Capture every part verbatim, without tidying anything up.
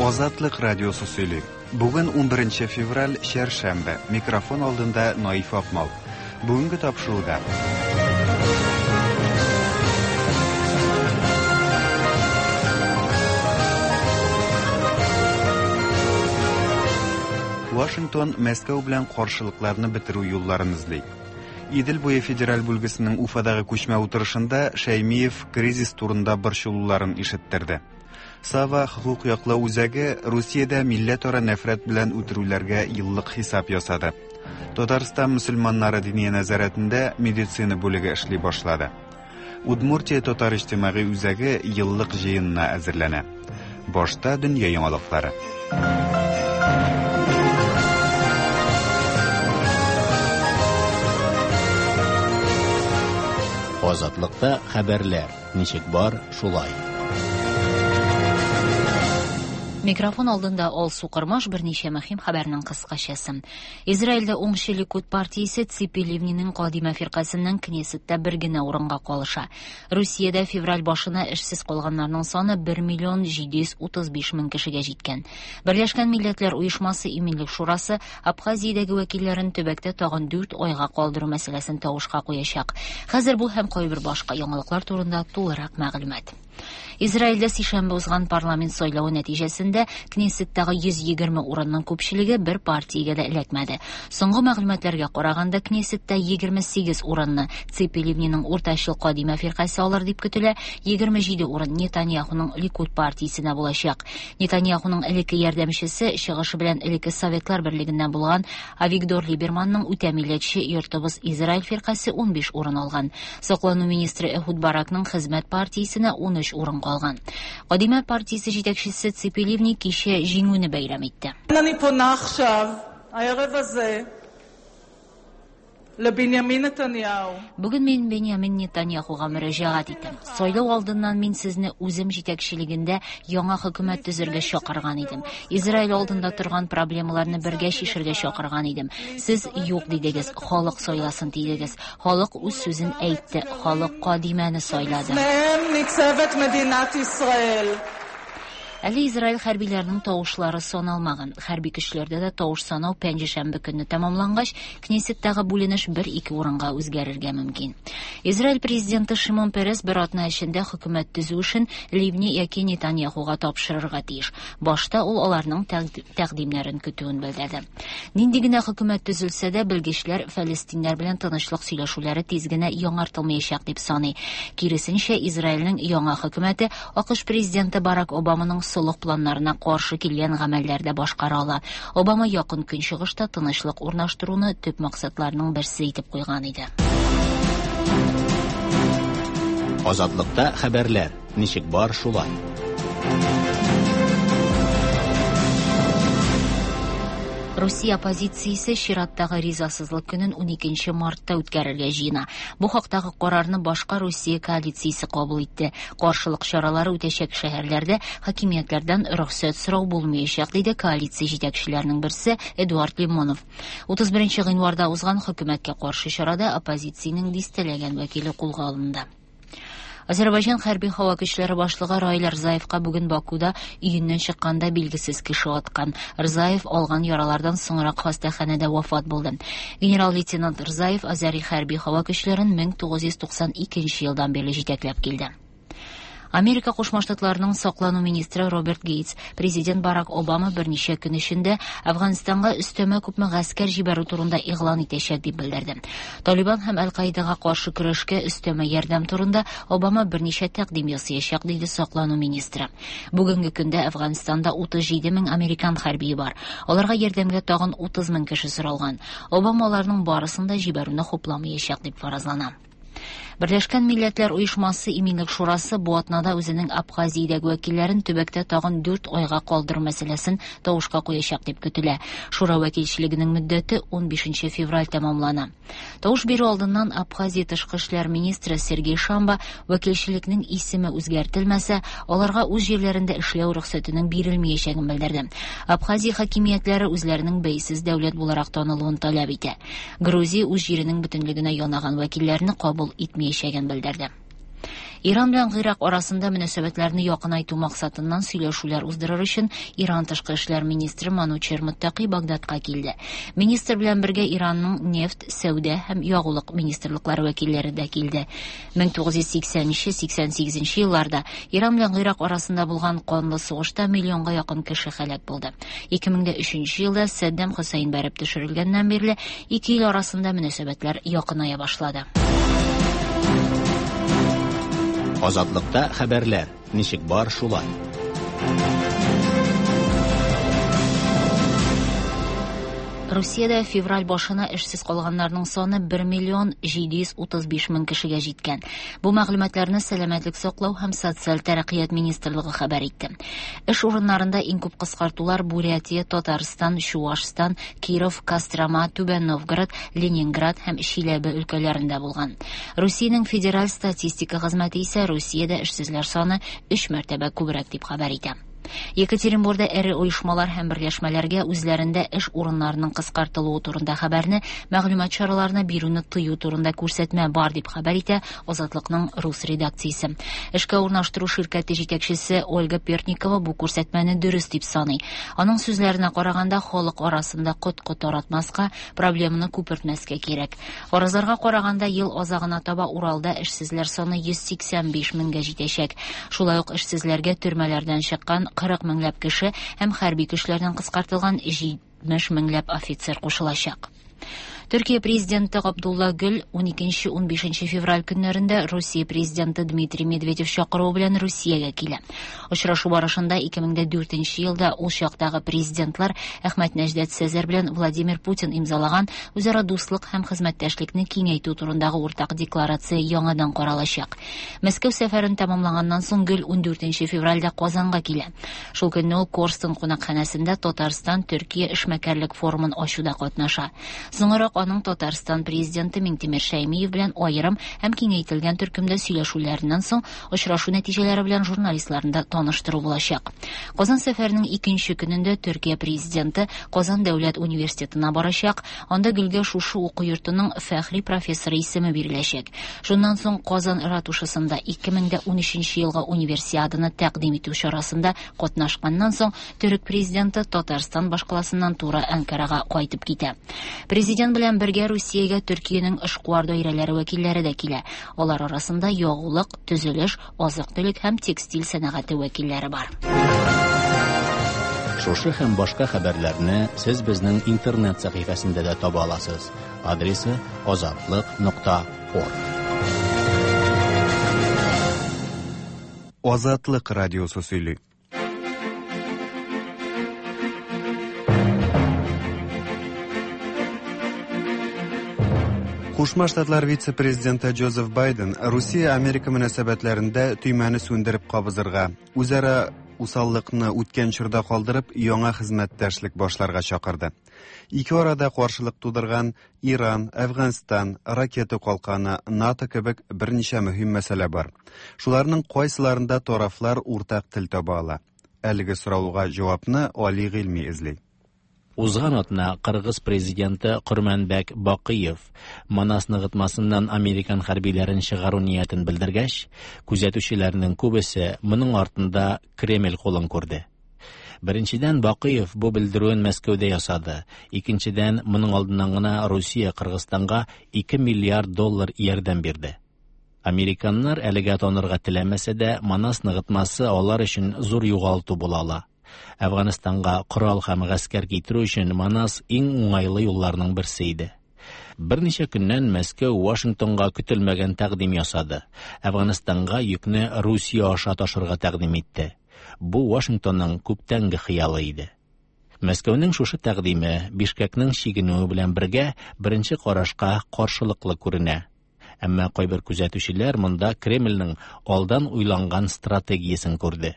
Азатлык радиосы сөйли. Бүген унберенче февраль, чәршәмбе. Микрофон алдында Наиф Акмал. Бүгенге тапшыруда. Вашингтон Мәскәү белән каршылыкларны бетерү юлларын эзли. Идел буе федераль бүлгесенең Уфадагы күчмә утырышында Шәймиев кризис турында борчылуларын ишеттерде. Сава хукук яклау үзәге Русиядә милләтара нәфрәт белән үтерүләргә еллык хисап ясады. Татарстан мөселманнары диния нәзарәтендә медицина бүлеге эшли башлады. Удмуртия татар иҗтимагый үзәге еллык җыенына әзерләнә. Башта дөнья яңалыклары. Азатлыкта хәбәрләр ничек бар, шулай. Микрофон алдында Алсу Кырмаш, берничә мөһим хәбәрнең кыскачасы. Израильдә уңчы Ликуд партиясе Ципи Ливниның Кадима фиркасеннән Кнессетта бер генә урынга калыша. Русиядә февраль башына эшсез калганнарның саны бер миллион җиде йөз утыз биш мең кешегә җиткән. Берләшкән Милләтләр Оешмасы Иминлек Шурасы Абхазиядәге вәкилләрен төбәктә тагын дүрт айга калдыру мәсьәләсен тавышка куячак. Хәзер бу һәм кайбер башка яңалыклар турында тулырак мәгълүмат. Израильдә сишәмбе узган парламент сайлавы нәтиҗәсендә Кнессеттагы йөз егерме урынның күпчелеге бер партиягә дә эләкмәде. Соңгы мәгълүматларга караганда, Кнессетта егерме сигез урынны Ципи Ливниның уртачыл Кадима фиркасе алыр дип көтелә, егерме җиде урын Нетаньяхуның Ликуд партиясенә булачак. Нетаньяхуның элекке ярдәмчесе, чыгышы белән элекке Советлар Берлегеннән булган Авигдор Либерманның үтә милләтче Йортыбыз Израиль фиркасе унбиш урын алган. Саклану министры Эхуд Баракның Хезмәт партиясенә ун өч урын калган. Кадима партиясе җитәкчесе Ципи Ливни кичә җиңүне бәйрәм итте. אני פונה עכשיו, הערב הזה, לבנימין נתניהו. Бүген мин Беньямин Нетаньяхуга мөрәҗәгать итәм. Сайлау алдыннан мин сезне үзем җитәкчелегендә яңа хөкүмәт төзергә чакырган идем. Израиль алдында торган проблемаларны бергә чишергә чакырган идем. Сез юк дидегез, халык сайласын дидегез. Халык үз сүзен әйтте, халык Кадимәне сайлады. לפניהם ניצבת מדינת ישראל. Әле Израиль хәрбиләренең тавышлары саналмаган. Хәрби көчләрдә дә тавыш санау пәнҗешәмбе көнне тәмамлангач, Кнессеттагы бүленеш бер-ике урынга үзгәрергә мөмкин. Израиль президенты Шимон Перес бер атна эчендә хөкүмәт төзү эшен Ливни яки Нетаньяхуга тапшырырга тиеш. Башта ул аларның тәкъ-, тәкъдимнәрен көтүен белдерде. Нинди генә хөкүмәт төзелсә дә, белгечләр фәлестиннәр белән тынычлык сөйләшүләре тиз генә яңартылмаячак дип саный. Киресенчә, Израильнең яңа хөкүмәте АКШ президенты Барак Обаманың солых планнарына каршы килгән гамәлләрдә башкара ала. Обама якын көнчыгышта тынычлык урнаштыруны төп максатларының берсе итеп куйган иде. Азатлыкта хәбәрләр ничек бар, шулай. Русия оппозициясе чираттагы ризасызлык көнен уникенче мартта үткәрергә җыена. Бу хактагы карарны башка Русия коалициясе кабул итте. Каршылык чаралары үтәчәк шәһәрләрдә хакимиятләрдән рөхсәт сорау булмаячак, диде коалиция җитәкчеләренең берсе Эдуард Лимонов. Утыз беренче гыйнварда узган хөкүмәткә каршы чарада оппозициянең дистәләгән вәкиле кулга алынды. Азербайҗан хәрби һава көчләре башлыгы Раил Рзаевка бүген Бакуда өеннән чыкканда билгесез кеше аткан. Рзаев алган яралардан соңрак хастаханәдә вафат булды. Генерал-лейтенант Рзаев Азәри хәрби һава көчләрен мең тугыз йөз туксан икенче елдан бирле җитәкләп килде. Америка Кушма Штатларының саклану министры Роберт Гейтс президент Барак Обама берничә көн эчендә Әфганстанга өстәмә күпме гаскәр җибәрү турында игълан итәчәк дип белдерде. Талибан һәм Аль-Каидага каршы көрәшкә өстәмә ярдәм турында Обама берничә тәкъдим ясаячак, диде саклану министры. Бүгенге көндә Әфганстанда утыз җиде мең американ хәрбие бар. Аларга ярдәмгә тагын утыз мең кеше соралган. Обама аларның барысын да җибәрүне хупламаячак дип фаразлана. Берләшкән Милләтләр Оешмасы Иминлек Шурасы бу атнада үзенең Абхазиядәге вәкилләрен төбәктә тагын дүрт айга калдыру мәсьәләсен тавышка куячак дип көтелә. Шура вәкилчелегенең мөддәте унбишенче февраль тәмамлана. Тавыш бирү алдыннан Абхазия тышкы эшләр министры Сергей Шамба вәкилчелекнең исеме үзгәртелмәсә, аларга үз җирләрендә эшләү рөхсәтенең бирелмәячәген белдерде. Абхазия хакимиятләре үзләренең бәйсез дәүләт буларак танылуын таләп итә. Грузия үз җиренең бөтенлегенә янаган вәкилләрне кабул итмәячәген белдерде. Иран белән Гыйрак арасында мөнәсәбәтләрне якынайту максатыннан сөйләшүләр уздырыр өчен Иран тышкы эшләр министры Манучер Муттаки Багдадка килде. Министр белән бергә Иранның нефть, сәүдә һәм ягулык министрлыклары вәкилләре дә килде. мең тугыз йөз сиксәненче сиксән сигезенче елларда Иран белән Гыйрак арасында булган канлы сугышта миллионга якын кеше һәлак булды. Ике мең дә өченче елда Саддам Хөсәйн бәреп төшерелгәннән бирле ике ил арасында мөнәсәбәтләр якыная башлады. Азатлыкта хәбәрләр ничек бар шулай. Русиядә февраль башына эшсез калганнарның саны бер миллион җиде йөз утыз биш мең кешегә җиткән. Бу мәгълүматларны Сәламәтлек саклау һәм социаль тәрәккыят министрлыгы хәбәр итте. Эш урыннарында иң күп кыскартулар Бурятия, Татарстан, Чуашстан, Киров, Кострома, Түбән Новгород, Ленинград һәм Чиләбе өлкәләрендә булган. Русиянең федераль статистика хезмәте исә Русиядә эшсезләр саны өч мәртәбә күбрәк дип хәбәр итә. Екатеринбургда эре оешмалар һәм берләшмәләргә үзләрендә эш урыннарының кыскартылуы турында хәбәрне мәгълүмат чараларына бирүне тыю турында күрсәтмә бар дип хәбәр итә Азатлыкның рус редакциясе. Эшкә урнаштыру ширкәте җитәкчесе Ольга Пертникова бу күрсәтмәне дөрес дип саный. Аның сүзләренә караганда, халык арасында коткы таратмаска, проблеманы күпертмәскә кирәк. Фаразларга караганда, ел азагына таба Уралда эшсезләр саны йөз сиксән биш меңгә җитәчәк. Шулай ук эшсезләргә төрмәләрдән чыккан кырык меңләп кеше һәм хәрби көчләрдән кыскартылган җитмеш меңләп офицер кушылачак. Төркия президенты Абдулла Гүл ун икенче ун бишенче февраль көннәрендә Русия президенты Дмитрий Медведев чакыруы белән Русиягә килә. Очрашу барышында ике мең дә дүртенче елда ул чактагы президентлар Әхмәт Нәҗдәт Сәзәр белән Владимир Путин имзалаган үзара дуслык һәм хезмәттәшлекне киңәйтү турындагы уртак декларация яңадан каралачак. Мәскәү сәфәрен тәмамлаганнан соң Гүл ун дүртенче февральдә Казанга килә. Шул көнне ул Корстон кунакханәсендә Татарстан Төркия эшмәкәрлек форумын ачуда катнаша. Соңрак аның Татарстан президенты Миңтимер Шәймиев белән аерым һәм киңәйтелгән төркемдә сөйләшүләреннән соң очрашу нәтиҗәләре белән журналистларны да таныштыру булачак. Казан сәфәренең икенче көнендә Төркия президенты Казан дәүләт университетына барачак. Анда Гөлгә шушы уку йортының фәхри профессоры исеме биреләчәк. Шуннан соң Казан ратушасында ике мең дә унөченче елгы универсиаданы тәкъдим итү чарасында катнашканнан соң Төрек президенты Татарстан башкаласыннан туры Анкарага кайтып китә. Президент белән бергә Русиягә Төркиянең эшкуар даирәләре вәкилләре дә килә. Алар арасында ягулык, төзелеш, азык-төлек һәм текстиль сәнәгате вәкилләре бар. Шушы һәм башка хәбәрләрне сез безнең интернет сәхифәсендә дә таба аласыз. Адресы азатлык нокта орг. Азатлык радиосы сөйли. Кушма Штатлар вице-президенты Джозеф Байден Русия-Америка мөнәсәбәтләрендә төймәне сүндереп кабызырга, үзара усаллыкны үткән чорда калдырып, яңа хезмәттәшлек башларга чакырды. Ике арада каршылык тудырган Иран, Әфганстан, ракета калканы, НАТО кебек берничә мөһим мәсьәлә бар. Шуларның кайсыларында тарафлар уртак тел таба ала? Әлеге сорауга җавапны Али Гыйльми эзли. Узган атна Кыргыз президенты Курманбек Бакыев Манас ныгытмасыннан американ хәрбиләрен чыгару ниятен белдергәч, күзәтүчеләрнең күбесе моның артында Кремль кулын күрде. Беренчедән, Бакыев бу белдерүен Мәскәүдә ясады. Икенчедән, моның алдыннан гына Русия Кыргызстанга ике миллиард доллар ярдәм бирде. Американнар әлегә танырга теләмәсә дә, Манас ныгытмасы алар өчен зур югалту була ала. Әфганстанга корал һәм гаскәр китерү өчен Манас иң уңайлы юлларның берсе иде. Берничә көннән Мәскәү Вашингтонга көтелмәгән тәкъдим ясады. Әфганстанга йөкне Русия аша ташырга тәкъдим итте. Бу Вашингтонның күптәнге хыялы иде. Мәскәүнең шушы тәкъдиме Бишкекнең чигенүе белән бергә беренче карашка каршылыклы күренә. Әмма кайбер күзәтүчеләр монда Кремльнең алдан уйланган стратегиясен күрде.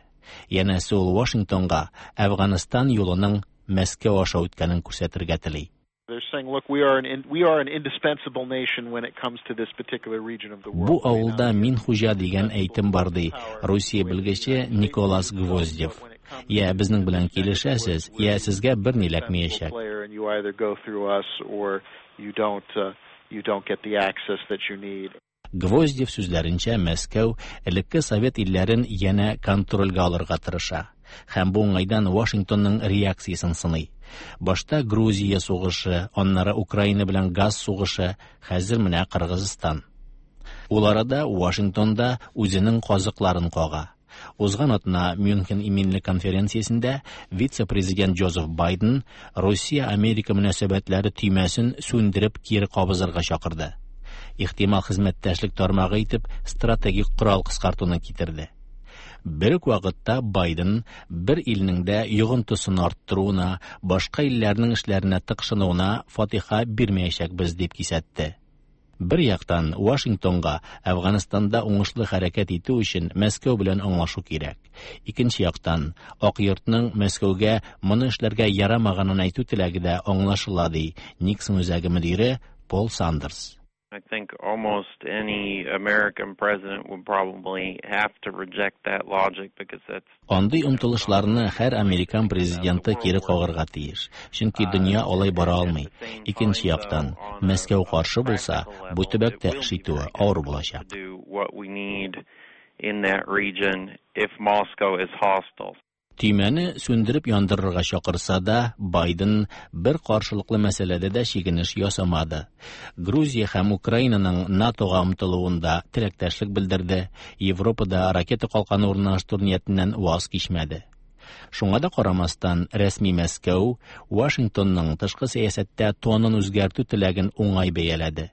Янәсе ул Вашингтонга Әфганстан юлының Мәскәү аша үткәнен күрсәтергә тели. They're saying, look, we are an in, we are an indispensable nation when it comes to this particular region of the world. Бу авылда мин хуҗа дигән әйтем бар, ди Русия белгече Николас Гвоздев. Я безнең белән килешәсез, я сезгә бер ни эләкмәячәк. And you either go through us or you don't, uh, you don't get the access that you need. Гвоздев сүзләренчә, Мәскәү элекке совет илләрен янә контрольгә алырга тырыша һәм бу уңайдан Вашингтонның реакциясен сыный. Башта Грузия сугышы, аннары Украина белән газ сугышы, хәзер менә Кыргызстан. Ул арада Вашингтонда үзенең казыкларын кага. Узган атна Мюнхен иминлек конференциясендә вице-президент Джозеф Байден Русия-Америка мөнәсәбәтләре төймәсен сүндереп кире кабызырга чакырды. Ихтимал хезмәттәшлек тармагы итеп стратегик корал кыскартуны китерде. Бер үк вакытта Байден бер илнең дә йогынтысын арттыруына, башка илләрнең эшләренә тыкшынуына фатиха бирмәячәкбез дип кисәтте. Бер яктан Вашингтонга Әфганстанда уңышлы хәрәкәт итү өчен Мәскәү белән аңлашу кирәк. Икенче яктан Ак йортның Мәскәүгә моны эшләргә ярамаганын әйтү теләге дә аңлашыла, ди Никсон үзәге мөдире Пол Сандерс. I think almost any American president would probably have to reject that logic because that's Андый омтылышларны һәр американ президенты кире кагарга тиеш, чөнки дөнья алай бара алмый. Икенче яктан, Мәскәү каршы булса, бу төбәктә эш итүе авыр булачак. do what we need in that region if Moscow is hostile. Төймәне сүндереп яндырырга чакырса да, Байден бер каршылыклы мәсьәләдә дә чигенеш ясамады. Грузия һәм Украинаның НАТОга омтылуында теләктәшлек белдерде, Европада ракета калканы урнаштыру ниятеннән ваз кичмәде. Шуңа да карамастан, рәсми Мәскәү Вашингтонның тышкы сәясәттә тонын үзгәртү теләген уңай бәяләде.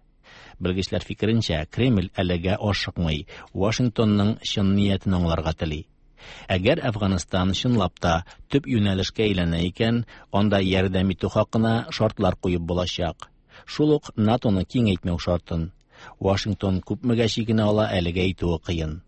Белгечләр фикеренчә, Кремль әлегә ашыкмый, Вашингтонның чын ниятен аңларга тели. Әгәр Әфганстан чынлап та төп юнәлешкә әйләнә икән, анда ярдәм итү хакына шартлар куеп булачак. Шул ук НАТОны киңәйтмәү шартын. Вашингтон күпмегә чигенә ала, әлегә әйтүе кыен.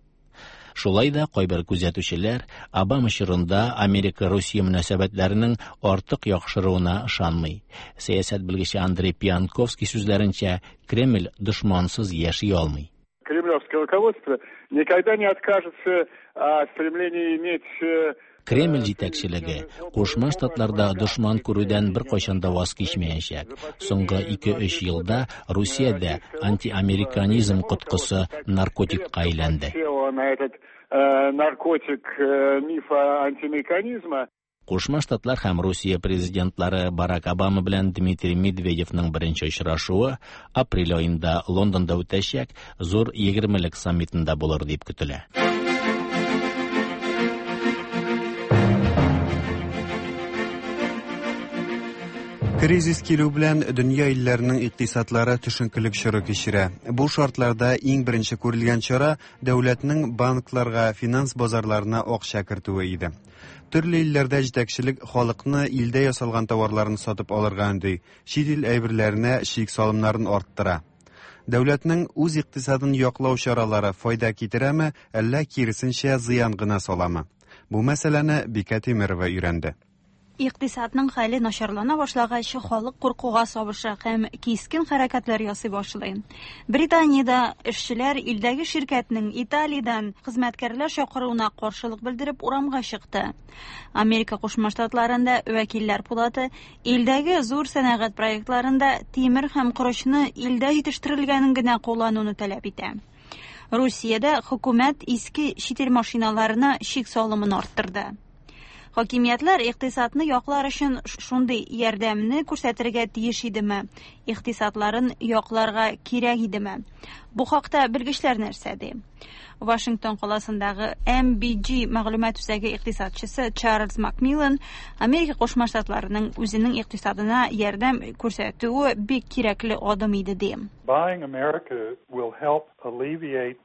Шулай да кайбер күзәтүчеләр Обама чорында Америка-Русия мөнәсәбәтләренең артык яхшыруына ышанмый. Сәясәт белгече Андрей Пианковский сүзләренчә, Кремль дошмансыз яши алмый. Кремлевское руководство никогда не откажется от стремления иметь э, Кремль җитәкчелеге Кушма Штатларда дошман күрүдән беркайчан да ваз кичмәячәк. Соңгы ике-өч елда Русиядә антиамериканизм коткысы наркотикка әйләнде. Села на этот э, наркотик э, мифа антиамериканизма. Кушма Штатлар һәм Русия президентлары Барак Обама белән Дмитрий Медведевның беренче очрашуы апрель аенда Лондонда үтәчәк зур егермелек саммитында булыр дип көтелә. Кризис килү белән дөнья илләренең икътисадлары төшенкелек чоры кичерә. Бу шартларда иң беренче күрелгән чара дәүләтнең банкларга, финанс базарларына акча кертүе иде. Төрле илләрдә җитәкчелек халыкны илдә ясалган товарларны сатып алырга өнди, чит ил әйберләренә чик салымнарын арттыра. Дәүләтнең үз икътисадын яклау чаралары файда китерәме, әллә киресенчә зыян гына саламы? Бу мәсьәләне Бикә Тимирова өйрәнде. Икътисадның хәле начарлана башлагач, халык куркуга сабыша һәм кискен хәрәкәтләр ясый башлый. Британиядә эшчеләр илдәге ширкәтнең Италиядән хезмәткәрләр чакыруына каршылык белдереп урамга чыкты. Америка Кушма Штатларында вәкилләр пулаты илдәге зур сәнәгать проектларында тимер һәм корычны илдә җитештерелгәнен генә куллануны таләп итә. Русиядә хөкүмәт иске чит ил машиналарына чик салымын арттырды. Хакимиятләр икътисадны яклар өчен шундый ярдәмне күрсәтергә тиеш идеме? Икътисадларын якларга кирәк идеме? Бу хакта белгечләр нәрсә ди? Вашингтон каласындагы М Б G мәгълүмат үзәге икътисадчысы Чарльз Макмиллан Америка Кушма Штатларының үзенең икътисадына ярдәм күрсәтүе бик кирәкле адым иде ди. Buying America will help alleviate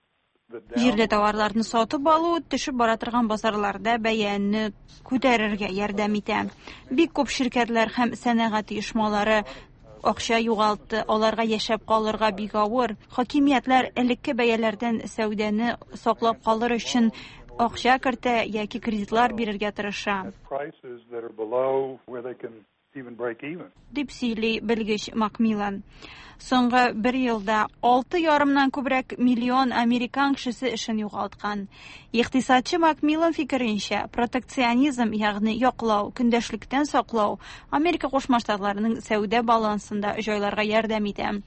Җирле товарларны сатып алу төшеп бара торган базарларда бәяне күтәрергә ярдәм итә. Бик күп ширкәтләр һәм сәнәгать оешмалары акча югалтты, аларга яшәп калырга бик авыр. Хакимиятләр элекке бәяләрдән сәүдәне саклап калыр өчен акча кертә яки кредитлар бирергә тырыша. Prices that are below where they can even break even. Дип сөйли белгеч Макмиллан. Соңгы бер елда алты ярымнан күбрәк миллион американ кешесе эшен югалткан. Икътисадчы Макмиллан фикеренчә, протекционизм, ягъни яклау, көндәшлектән саклау Америка Кушма Штатларының сәүдә балансында җайларга ярдәм итә.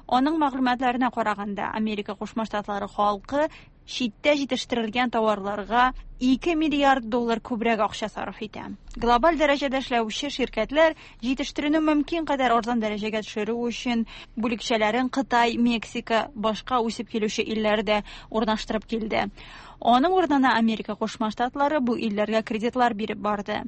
Аның мәгълүматларына караганда, Америка Кушма Штатлары халкы читтә җитештерелгән товарларга ике миллиард доллар күбрәк акча сарыф итә. Глобаль дәрәҗәдә эшләүче ширкәтләр җитештерүне мөмкин кадәр арзан дәрәҗәгә төшерү өчен бүлекчәләрен Кытай, Мексика, башка үсеп килүче илләрдә урнаштырып килде. Аның урынына Америка Кушма Штатлары бу илләргә кредитлар биреп барды.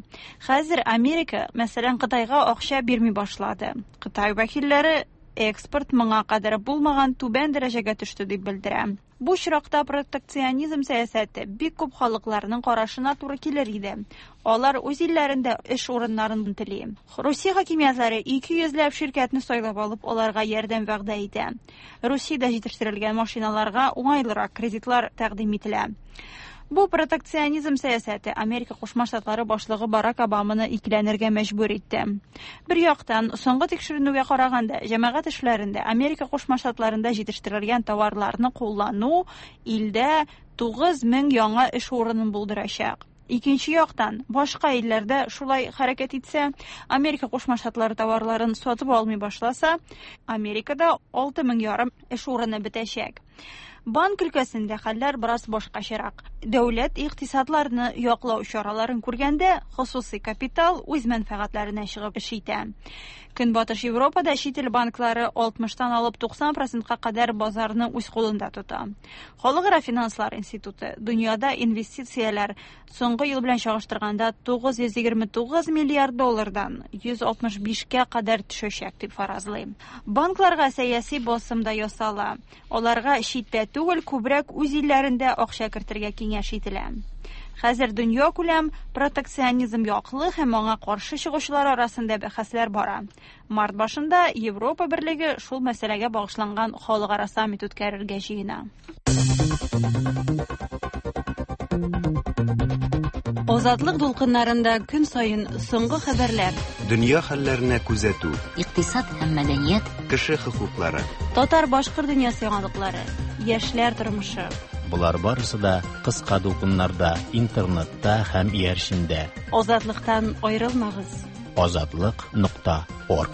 Хәзер Америка, мәсәлән, Кытайга акча бирми башлады. Кытай вәкилләре экспорт моңа кадәр булмаган түбән дәрәҗәгә төште дип белдерә. Бу очракта протекционизм сәясәте бик күп халыкларның карашына туры килер иде. Алар үз илләрендә эш урыннарын тели. Русия хакимиятләре ике йөзләп ширкәтне сайлап алып, аларга ярдәм вәгъдә итә. Русиядә җитештерелгән машиналарга уңайлырак кредитлар тәкъдим ителә. Бу протекционизм сәясәте Америка Кушма Штатлары башлыгы Барак Обаманы икеләнергә мәҗбүр итте. Бер яктан, соңгы тикшеренүгә караганда, җәмәгать эшләрендә Америка Кушма Штатларында җитештерелгән товарларны куллану илдә тугыз мең яңа эш урынын булдырачак. Икенче яктан, башка илләрдә шулай хәрәкәт итсә, Америка Кушма Штатлары товарларын сатып алмый башласа, Америкада алты мең ярым эш урыны бетәчәк. Банк өлкәсендә хәлләр бераз башкачарак. Дәүләт икътисадларны яклау чараларын күргәндә, хосусый капитал үз мәнфәгатьләренә чыгып эш итә. Көнбатыш Европада чит ил банклары алтмыштан алып туксан процентка кадәр базарны үз кулында тота. Халыкара финанслар институты дөньяда инвестицияләр соңгы ел белән чагыштырганда тугыз йөз егерме тугыз миллиард доллардан йөз алтмыш бишкә кадәр төшәчәк дип фаразлый. Банкларга сәяси басым да ясала. Аларга читтә түгел, күбрәк үз илләрендә акча кертергә киңәш ителә. Хәзер дөнья күләм протекционизм яклы һәм аңа каршы чыгучылар арасында бәхәсләр бара. Март башында Европа Берлеге шул мәсьәләгә багышланган халыкара саммит үткәрергә җыена. Азатлык дулкыннарында көн саен соңгы хәбәрләр, дөнья хәлләренә күзәтү, икътисад һәм мәдәният, кеше хокуклары, татар-башкорт дөньясы яңалыклары, яшьләр тормышы. Болар барысы да кыска дулкыннарда, интернетта һәм иярчендә. Азатлыктан аерылмагыз. Азатлык нокта орг.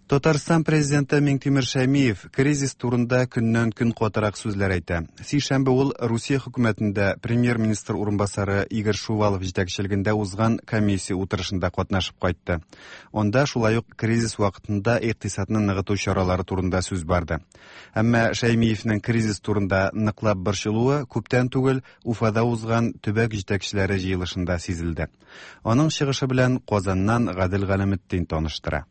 Татарстан президенты Миңтимер Шәймиев кризис турында көннән көн катырак сүзләр әйтә. Сишәмбе ул Русия хөкүмәтендә премьер-министр урынбасары Игорь Шувалов җитәкчелегендә узган комиссия утырышында катнашып кайтты. Анда шулай ук кризис вакытында икътисадны ныгыту чаралары турында сүз барды. Әмма Шәймиевнең кризис турында ныклап борчылуы күптән түгел Уфада узган төбәк җитәкчеләре җыелышында сизелде. Аның чыгышы белән Казаннан Гадел Галәметдин таныштыра.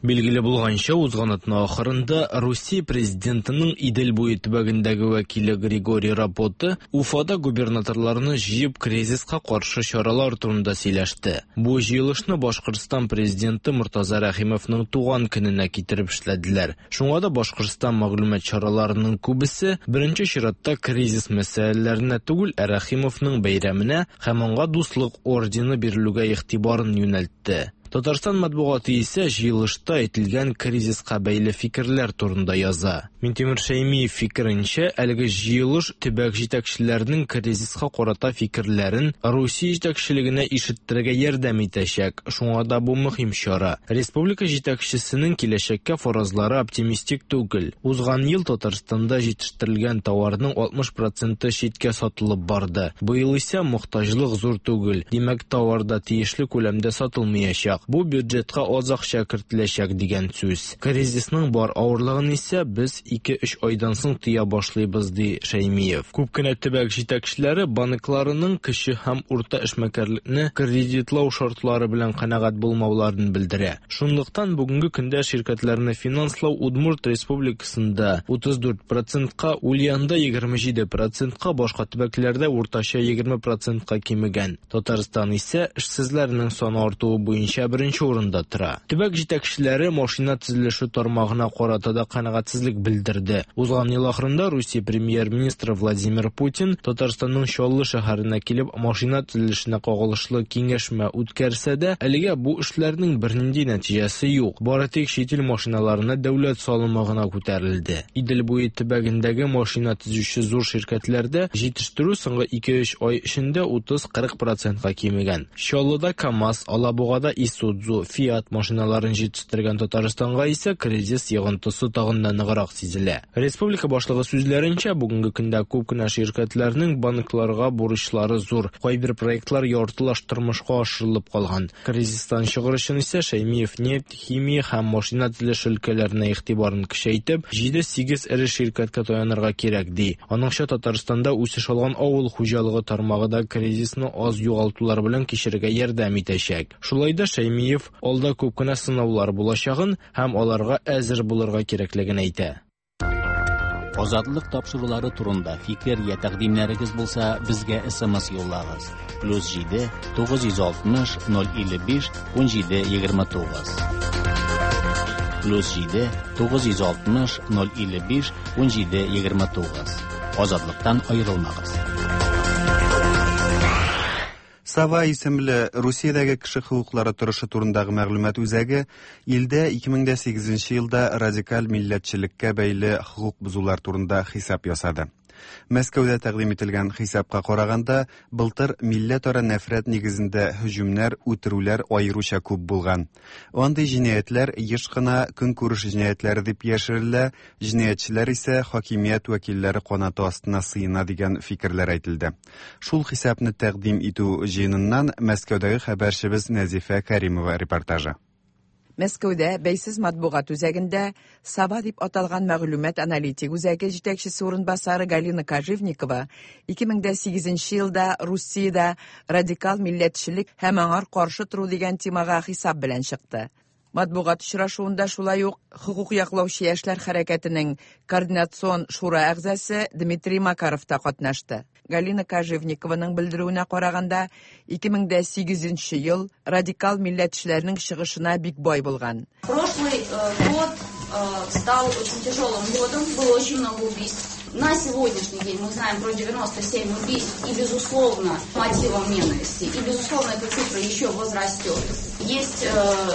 Билгеле булганча, узган атна ахырында Русия президентының Идел буе төбәгендәге вәкиле Григорий Рапота Уфада губернаторларны җыеп кризиска каршы чаралар турында сөйләште. Бу җыелышны Башкортстан президенты Мортаза Рәхимовның туган көненә китереп эшләделәр. Шуңа да Башкортстан мәгълүмат чараларының күбесе беренче чиратта кризис мәсьәләләренә түгел, ә Рәхимовның бәйрәменә һәм аңа дуслык ордены бирелүгә игътибарын юнәлтте. Татарстан матбугаты исә җыелышта әйтелгән кризиска бәйле фикерләр турында яза. Миңтимер Шәймиев фикеренчә, әлеге җыелыш төбәк җитәкчеләренең кризиска карата фикерләрен Русия җитәкчелегенә ишеттерергә ярдәм итәчәк. Шуңа да бу мөһим чара. Республика җитәкчесенең киләчәккә фаразлары оптимистик түгел. Узган ел Татарстанда җитештерелгән товарның алтмыш проценты читкә сатылып барды. Быел исә мохтаҗлык зур түгел. Димәк, товар да тиешле күләмдә сатылмаячак. Бу бюджетка аз акча кертеләчәк дигән сүз. Кризисның бар авырлыгын исә без ике-өч айдан соң тыя башлыйбыз, ди Шәймиев. Күп кенә төбәк җитәкчеләре банкларының кече һәм урта эшмәкәрлекне кредитлау шартлары белән канәгать булмауларын белдерә. Шунлыктан бүгенге көндә ширкәтләрне финанслау Удмурт Республикасында утыз дүрт процентка, Ульянда егерме җиде процентка, башка төбәкләрдә уртача егерме процентка кимегән. Татарстан исә эшсезләрнең саны артуы буенча беренче урында тора. Төбәк җитәкчеләре машина төзелеше тармагына карата да канәгатьсезлек белдерде. Узган ел ахырында Русия премьер-министры Владимир Путин Татарстанның Чаллы шәһәренә килеп машина төзелешенә кагылышлы киңәшмә үткәрсә дә, әлегә бу эшләрнең бернинди нәтиҗәсе юк. Бары тик чит ил машиналарына дәүләт салымы гына күтәрелде. Идел буе төбәгендәге машина төзүче зур ширкәтләрдә җитештерү соңгы ике-өч ай эчендә утыз-кырык процентка кимегән. Чаллыда КАМАЗ, Алабугада Исудзу, Фиат машиналарын җитештергән Татарстанга исә кризис йогынтысы тагын да ныграк сизелә. Республика башлыгы сүзләренчә, бүгенге көндә күп кенә ширкәтләрнең банкларга бурычлары зур. Кайбер проектлар яртылаш тормышка ашырылып калган. Кризистан чыгыр өчен исә Шәймиев нефть, химия һәм машина төзелеше өлкәләренә игътибарын көчәйтеп, җиде-сигез эре ширкәткә таянырга кирәк ди. Аныңча, Татарстанда үсеш алган авыл хуҗалыгы тармагы да кризисны аз югалтулар белән кичерергә ярдәм итәчәк. Шулай да Шәймиев алда күп кенә сынаулар булачагын һәм аларга әзер булырга кирәклеген әйтә. Азатлык тапшырулары турында фикер я тәкъдимнәрегез булса, безгә эс эм эс юллагыз. Плюс җиде тугыз йөз алтмыш ноль илле биш ун җиде егерме тугыз. Плюс җиде тугыз йөз алтмыш ноль илле биш ун җиде егерме тугыз. Азатлыктан аерылмагыз. Сава исемле Русиядәге кеше хокуклары торышы турындагы мәгълүмат үзәге илдә ике мең дә сигезенче елда радикаль милләтчелеккә бәйле хокук бозулар турында хисап ясады. Мәскәүдә тәкъдим ителгән хисапка караганда, былтыр милләтара нәфрәт нигезендә һөҗүмнәр, үтерүләр аеруча күп булган. Андый җинаятьләр еш кына көнкүреш җинаятьләре дип яшерелә, җинаятьчеләр исә хакимият вәкилләре канаты астына сыена дигән фикерләр әйтелде. Шул хисапны тәкъдим итү җыеныннан Мәскәүдәге хәбәрчебез Нәзифә Каримова репортажы. Мәскәүдә бәйсез матбугат үзәгендә Сава дип аталган мәгълүмат аналитик үзәге җитәкчесе урынбасары Галина Кожевникова ике мең дә сигезенче елда Русиядә радикал милләтчелек һәм аңар каршы тору дигән темага хисап белән чыкты. Матбугат очрашуында шулай ук хокук яклаучы яшьләр хәрәкәтенең координацион шура әгъзасы Дмитрий Макаров та катнашты. Галина Кожевникованың белдерүенә караганда, ике мең дә сигезенче ел радикал милләтчеләрнең чыгышына бик бай булган. Прошлый, э, год, э, стал очень тяжелым годом, было очень много убийств. На сегодняшний день мы знаем про девяносто семь убийств и, безусловно, мотивом ненависти. И, безусловно, эта цифра еще возрастет. Есть, э,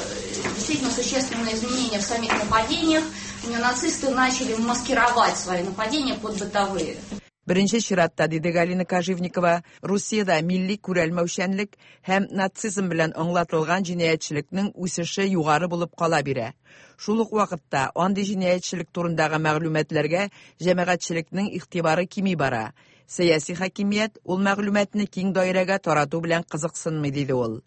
действительно существенные изменения в самих нападениях. Неонацисты начали маскировать свои нападения под бытовые. Беренче чиратта, диде Галина Кожевникова, Русиядә милли күрәлмәүчәнлек һәм нацизм белән аңлатылган җинаятьчелекнең үсеше югары булып кала бирә. Шул ук вакытта андый җинаятьчелек турындагы мәгълүматларга җәмәгатьчелекнең игътибары кими бара. Сәяси хакимият ул мәгълүматны киң даирәгә тарату белән кызыксынмый, диде ул.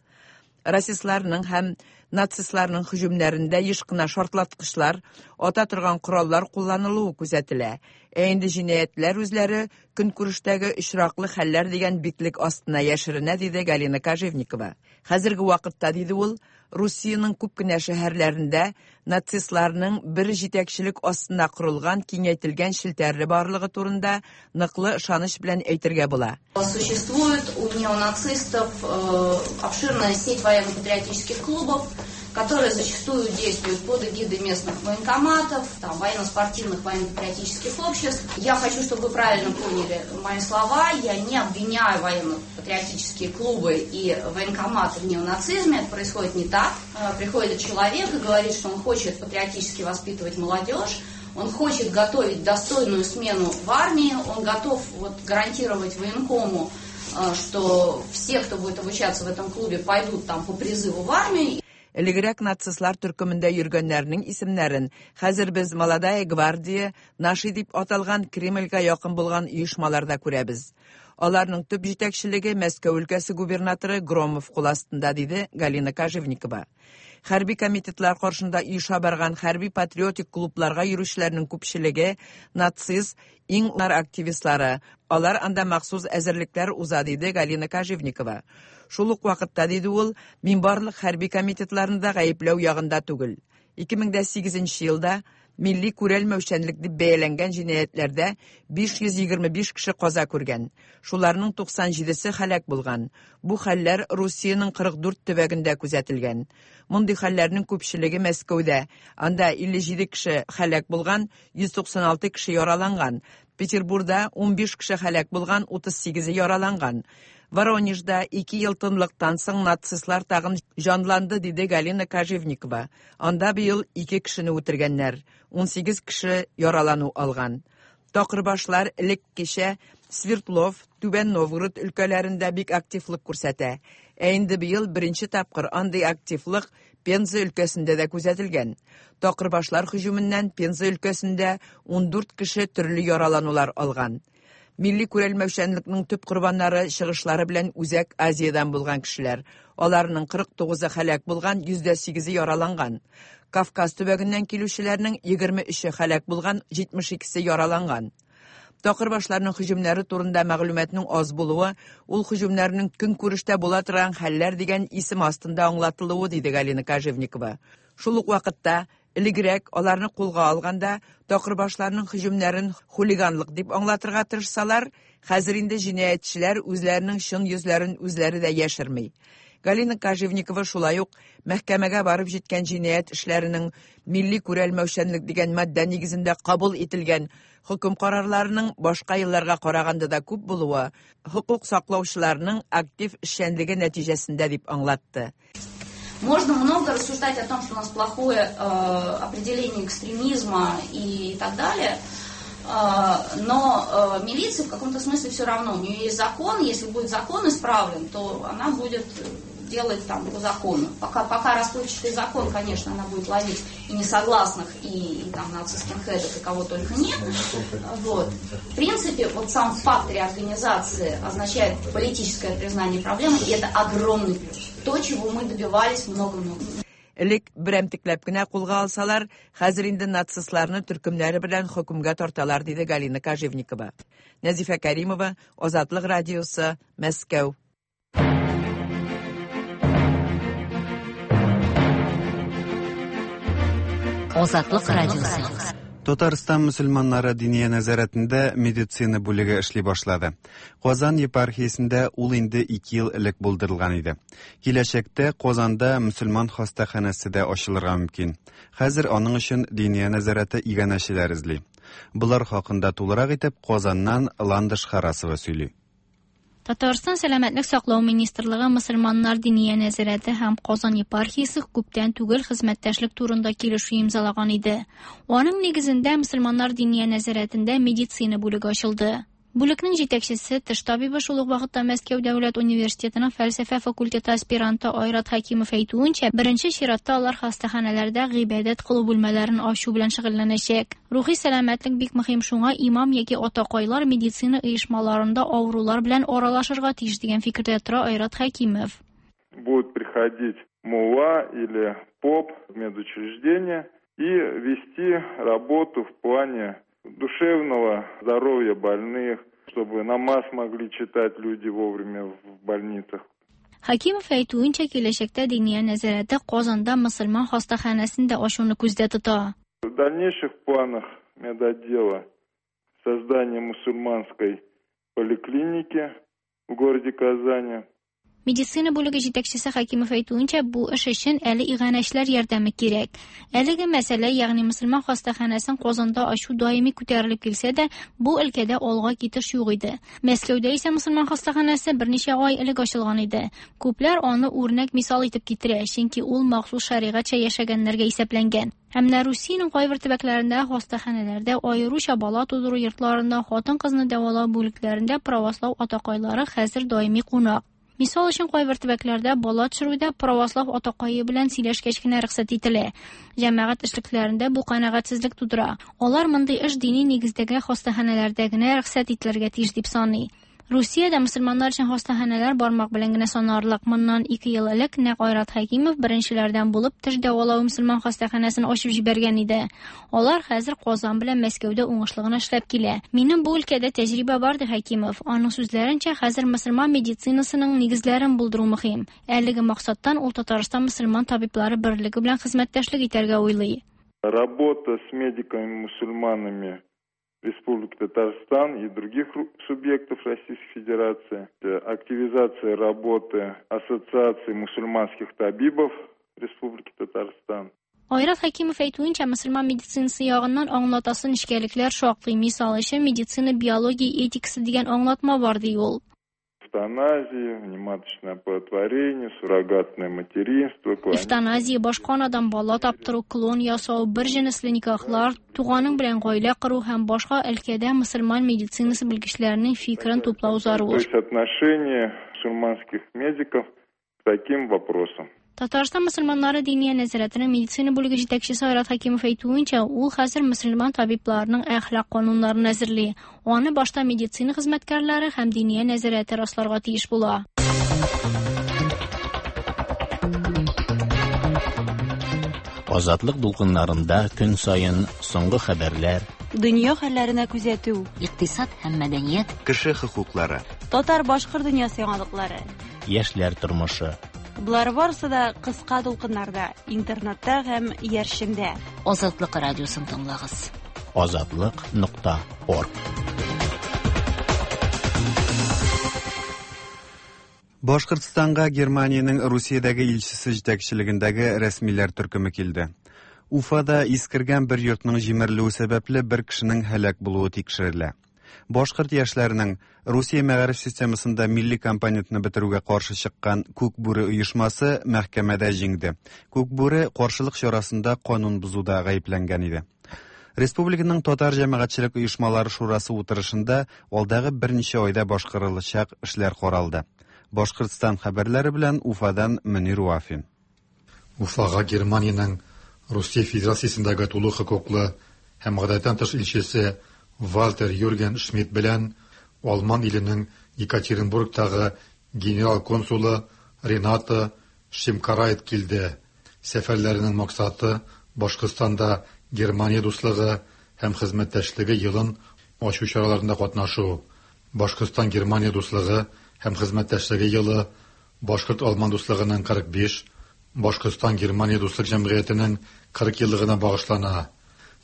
Расистларның һәм нацистларның һөҗүмнәрендә еш кына шартлаткычлар, ата торган кораллар кулланылуы күзәтелә. Ә инде җинаятьләр үзләре көнкүрештәге очраклы хәлләр дигән битлек астына яшеренә, диде Галина Кожевникова. Хәзерге вакытта, диде ул, Русиянең күп кенә шәһәрләрендә нацистларның бер җитәкчелек астына корылган киңәйтелгән челтәре барлыгы турында ныклы ышаныч белән әйтергә була. Существует у неонацистов, э, обширная сеть военно-патриотических клубов, которые зачастую действуют под эгидой местных военкоматов, там, военно-спортивных, военно-патриотических обществ. Я хочу, чтобы вы правильно поняли мои слова. Я не обвиняю военно-патриотические клубы и военкоматы в неонацизме. Это происходит не так. Э, приходит человек и говорит, что он хочет патриотически воспитывать молодежь, он хочет готовить достойную смену в армии, он готов вот, гарантировать военкому, э, что все, кто будет обучаться в этом клубе, пойдут там по призыву в армию. Элегрәк нацистлар төркемендә йөргәннәрнең исемнәрен хәзер без Молодая гвардия, Наши дип аталган Кремльгә якын булган оешмаларда күрәбез. Аларның төп җитәкчелеге Мәскәү өлкәсе губернаторы Громов кул астында, диде Галина Кожевникова. Хәрби комитетлар каршында оеша барган хәрби патриотик клубларга йөрүчеләрнең күпчелеге нацист, иң нар активистлары. Алар анда махсус әзерлекләр уза, диде Галина Кожевникова. Шул ук вакытта, диде ул, мин барлык хәрби комитетларны да гаепләү ягында түгел. ике мең дә сигезенче елда милли күрәлмәүчәнлек дип бәяләнгән җинаятьләрдә биш йөз егерме биш кеше каза күргән. Шуларның туксан җидесе һәлак булган. Бу хәлләр Русиянең кырык дүрт төбәгендә күзәтелгән. Мондый хәлләрнең күпчелеге Мәскәүдә. Анда илле җиде кеше һәлак булган, йөз туксан алты кеше яраланган. Петербургда ун биш кеше һәлак булган, утыз сигезе яраланган. Воронежда ике ел тынлыктан соң нацистлар тагын җанланды, диде Галина Кожевникова. Анда быел ике кешене үтергәннәр, ун сигез кеше яралану алган. Такырбашлар элеккечә Свердлов, Түбән Новгород өлкәләрендә бик активлык күрсәтә. Ә инде быел беренче тапкыр андый активлык Пенза өлкәсендә дә күзәтелгән. Такырбашлар һөҗүменнән Пенза өлкәсендә ун дүрт кеше төрле яраланулар алган. Милли күрәлмәүчәнлекнең төп корбаннары чыгышлары белән Үзәк Азиядән булган кешеләр. Аларның кырык тугызы һәлак булган, йөз дә сигезе яраланган. Кавказ төбәгеннән килүчеләрнең егерме өче һәлак булган, җитмеш икесе яраланган. Такырбашларның һөҗүмнәре турында мәгълүматның аз булуы, ул һөҗүмнәрнең көнкүрештә була торган хәлләр дигән исем астында аңлатылуы, диде Галина Кожевникова. Шул ук вакытта элегрәк аларны кулга алганда такырбашларның һөҗүмнәрен хулиганлык дип аңлатырга тырышсалар, хәзер инде җинаятьчеләр үзләренең чын йөзләрен үзләре дә яшерми. Галина Кожевникова шулай ук мәхкәмәгә барып җиткән җинаять эшләренең милли күрәлмәүчәнлек дигән маддә нигезендә кабул ителгән хөкем карарларының башка елларга караганда да күп булуы хокук саклаучыларның актив эшчәнлеге нәтиҗәсендә дип аңлатты. Можно много рассуждать о том, что у нас плохое э, определение экстремизма и так далее, э, но э, милиция в каком-то смысле все равно. У нее есть закон, если будет закон исправлен, то она будет делать там по закону. Пока, пока расплывчатый закон, конечно, она будет ловить и несогласных, и, и там нацистских-хедов, и кого только нет. Вот. В принципе, вот сам факт реорганизации означает политическое признание проблемы, и это огромный плюс. То, чего мы добивались много-много. Элек берәмтекләп кенә кулга алсалар, хәзер инде нацистларны төркемнәре белән хөкемгә тарталар, диде Галина Кожевникова. Нәзифә Каримова, Азатлык радиосы, Мәскәү. Азатлык радиосы. Татарстан мөселманнары диния нәзарәтендә медицина бүлеге эшли башлады. Казан епархиясендә ул инде ике ел элек булдырылган иде. Киләчәктә Казанда мөселман хастаханәсе дә ачылырга мөмкин. Хәзер аның өчен диния нәзарәте иганәчеләр эзли. Булар хакында тулырак итеп Казаннан Ландыш Харасова сөйли. Татарстан Сәламәтлек саклау министрлыгы мөселманнар диния нәзарәте һәм Казан епархиясе күптән түгел хезмәттәшлек турында килешү имзалаган иде. Аның нигезендә мөселманнар диния нәзарәтендә медицина бүлеге ачылды. Бүлекнең җитәкчесе, теш табибы, шул ук вакытта Мәскәү дәүләт университетының фәлсәфә факультеты аспиранты Айрат Хәкимов әйтүенчә, беренче чиратта алар хастаханәләрдә гыйбадәт кылу бүлмәләрен ачу белән шөгыльләнәчәк. Рухи сәламәтлек бик мөһим, шуңа имам яки атакайлар медицина оешмаларында авырулар белән аралашырга тиеш дигән фикердә тора Айрат Хәкимов. Будут приходить мулла или поп в медучреждение и вести работу в плане душевного здоровья больных, чтобы намаз могли читать люди вовремя в больницах. Хәкимов әйтүенчә, киләчәктә диния нәзарәте Казанда мөселман хастаханәсен дә ачуны күздә тота. В дальнейших планах медотдела создание мусульманской поликлиники в городе Казани. Медицина бүлеге җитәкчесе Хәкимов әйтүенчә, бу эш өчен әле иганәчеләр ярдәме кирәк. Әлеге мәсьәлә, ягъни мөселман хастаханәсен Казанда ачу даими күтәрелеп килсә дә, бу өлкәдә алга китеш юк иде. Мәскәүдә исә мөселман хастаханәсе берничә ай элек ачылган иде. Күпләр аны үрнәк мисал итеп китерә, чөнки ул махсус шәригатьчә яшәгәннәргә исәпләнгән. Һәм менә Русиянең кайбер төбәкләрендә хастаханәләрдә, аеруча бала тудыру йортларында, хатын-кызны дәвалау бүлекләрендә православ атакайлары хәзер даими кунак. Мисал өчен, кайбер төбәкләрдә бала төшерүдә православ атакае белән сөйләшкәч кенә рөхсәт ителә. Җәмәгать эшлекләрендә бу канәгатьсезлек тудыра. Алар мондый эш дини нигездәге хастаханәләрдә генә рөхсәт ителергә тиеш дип саный. Русиядә мөселманнар өчен хастаханәләр бармак белән генә санарлык. Моннан ике ел элек нәкъ Айрат Хәкимов беренчеләрдән булып теш дәвалау мөселман хастаханәсен ачып җибәргән иде. Алар хәзер Казан белән Мәскәүдә уңышлы гына эшләп килә. Минем бу өлкәдә тәҗрибә бар, ди Хәкимов. Аның сүзләренчә, хәзер мөселман медицинасының нигезләрен булдыру мөһим. Әлеге максаттан ул Татарстан мөселман табиблары берлеге белән хезмәттәшлек итәргә уйлый. Работа с медиками-мусульманами Республики Татарстан и других субъектов Российской Федерации, активизация работы Ассоциации мусульманских табибов Республики Татарстан. Айрат Хәкимов әйтүенчә, мөселман медицинасы ягыннан аңлатасы нечкәлекләр шактый. Мисал өчен, медицина биология этикасы дигән аңлатма бар, ди ул. Эвтаназия, внематочное оплодотворение, суррогатное материнство, клонирование. Эвтаназия, башка анадан бала таптыру, клон ясау, бер җенесле никахлар, туганың белән гаилә кору һәм башка өлкәдә мөселман медицинасы белгечләренең фикерен туплау зарур. То есть отношение мусульманских медиков к таким вопросам. Татарстан мөселманнары диния нәзарәтенең медицина бүлеге җитәкчесе Айрат Хәкимов әйтүенчә, ул хәзер мөселман табибларының әхлак кануннарын әзерли. Аны башта медицина хезмәткәрләре һәм диния нәзарәте расларга тиеш була. Азатлык дулкыннарында көн саен соңгы хәбәрләр, дөнья хәлләренә күзәтү, икътисад һәм мәдәният, кеше хокуклары, татар-башкорт дөньясы яңалыклары, яшьләр тормышы. Болар барысы да кыска дулкыннарда, интернетта һәм иярчендә. Азатлык радиосын тыңлагыз. Азатлык нокта орг. Башкортстанга Германиянең Русиядәге илчесе җитәкчелегендәге рәсмиләр төркеме килде. Уфада искергән бер йортның җимерелүе сәбәпле бер кешенең һәлак булуы тикшерелә. Башкорт яшьләренең Русия мәгариф системасында милли компонентны бетерүгә каршы чыккан Күк бүре оешмасы мәхкәмәдә җиңде. Күк бүре каршылык чарасында канун бозуда гаепләнгән иде. Республиканың татар җәмәгатьчелек оешмалары шурасы утырышында алдагы берничә айда башкарылачак эшләр каралды. Башкортстан хәбәрләре белән Уфадан Мөнир Вафин. Уфага Германиянең Русия Федерациясендәге тулы хокуклы һәм гадәттән тыш илчесе Вальтер Юрген Шмидт белән Алман иленең Екатеринбургтагы генерал-консулы Рената Шимкарайт килде. Сәфәрләренең максаты Башкортстанда Германия дуслыгы һәм хезмәттәшлеге елын ачу чараларында катнашу. Башкортстан Германия дуслыгы һәм хезмәттәшлеге елы Башкорт-Алман дуслыгының кырык биш, Башкортстан Германия дуслык җәмгыятенең кырык еллыгына багышлана.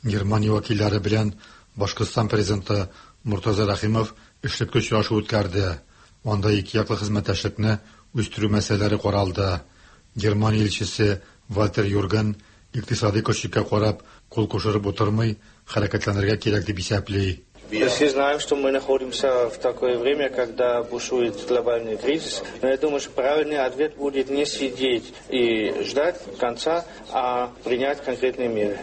Германия вәкилләре белән Башкортстан президенты Муртаза Рәхимов эшлекле очрашу үткәрде. Анда ике яклы хезмәттәшлекне үстерү мәсьәләләре каралды. Германия илчесе Вальтер Юрген икътисади көрчеккә карап, кул кушырып утырмый, хәрәкәтләнергә кирәк дип исәпли. Мы все знаем, что мы находимся в такое время, когда бушует глобальный кризис. Но я думаю, что правильный ответ будет не сидеть и ждать конца, а принять конкретные меры.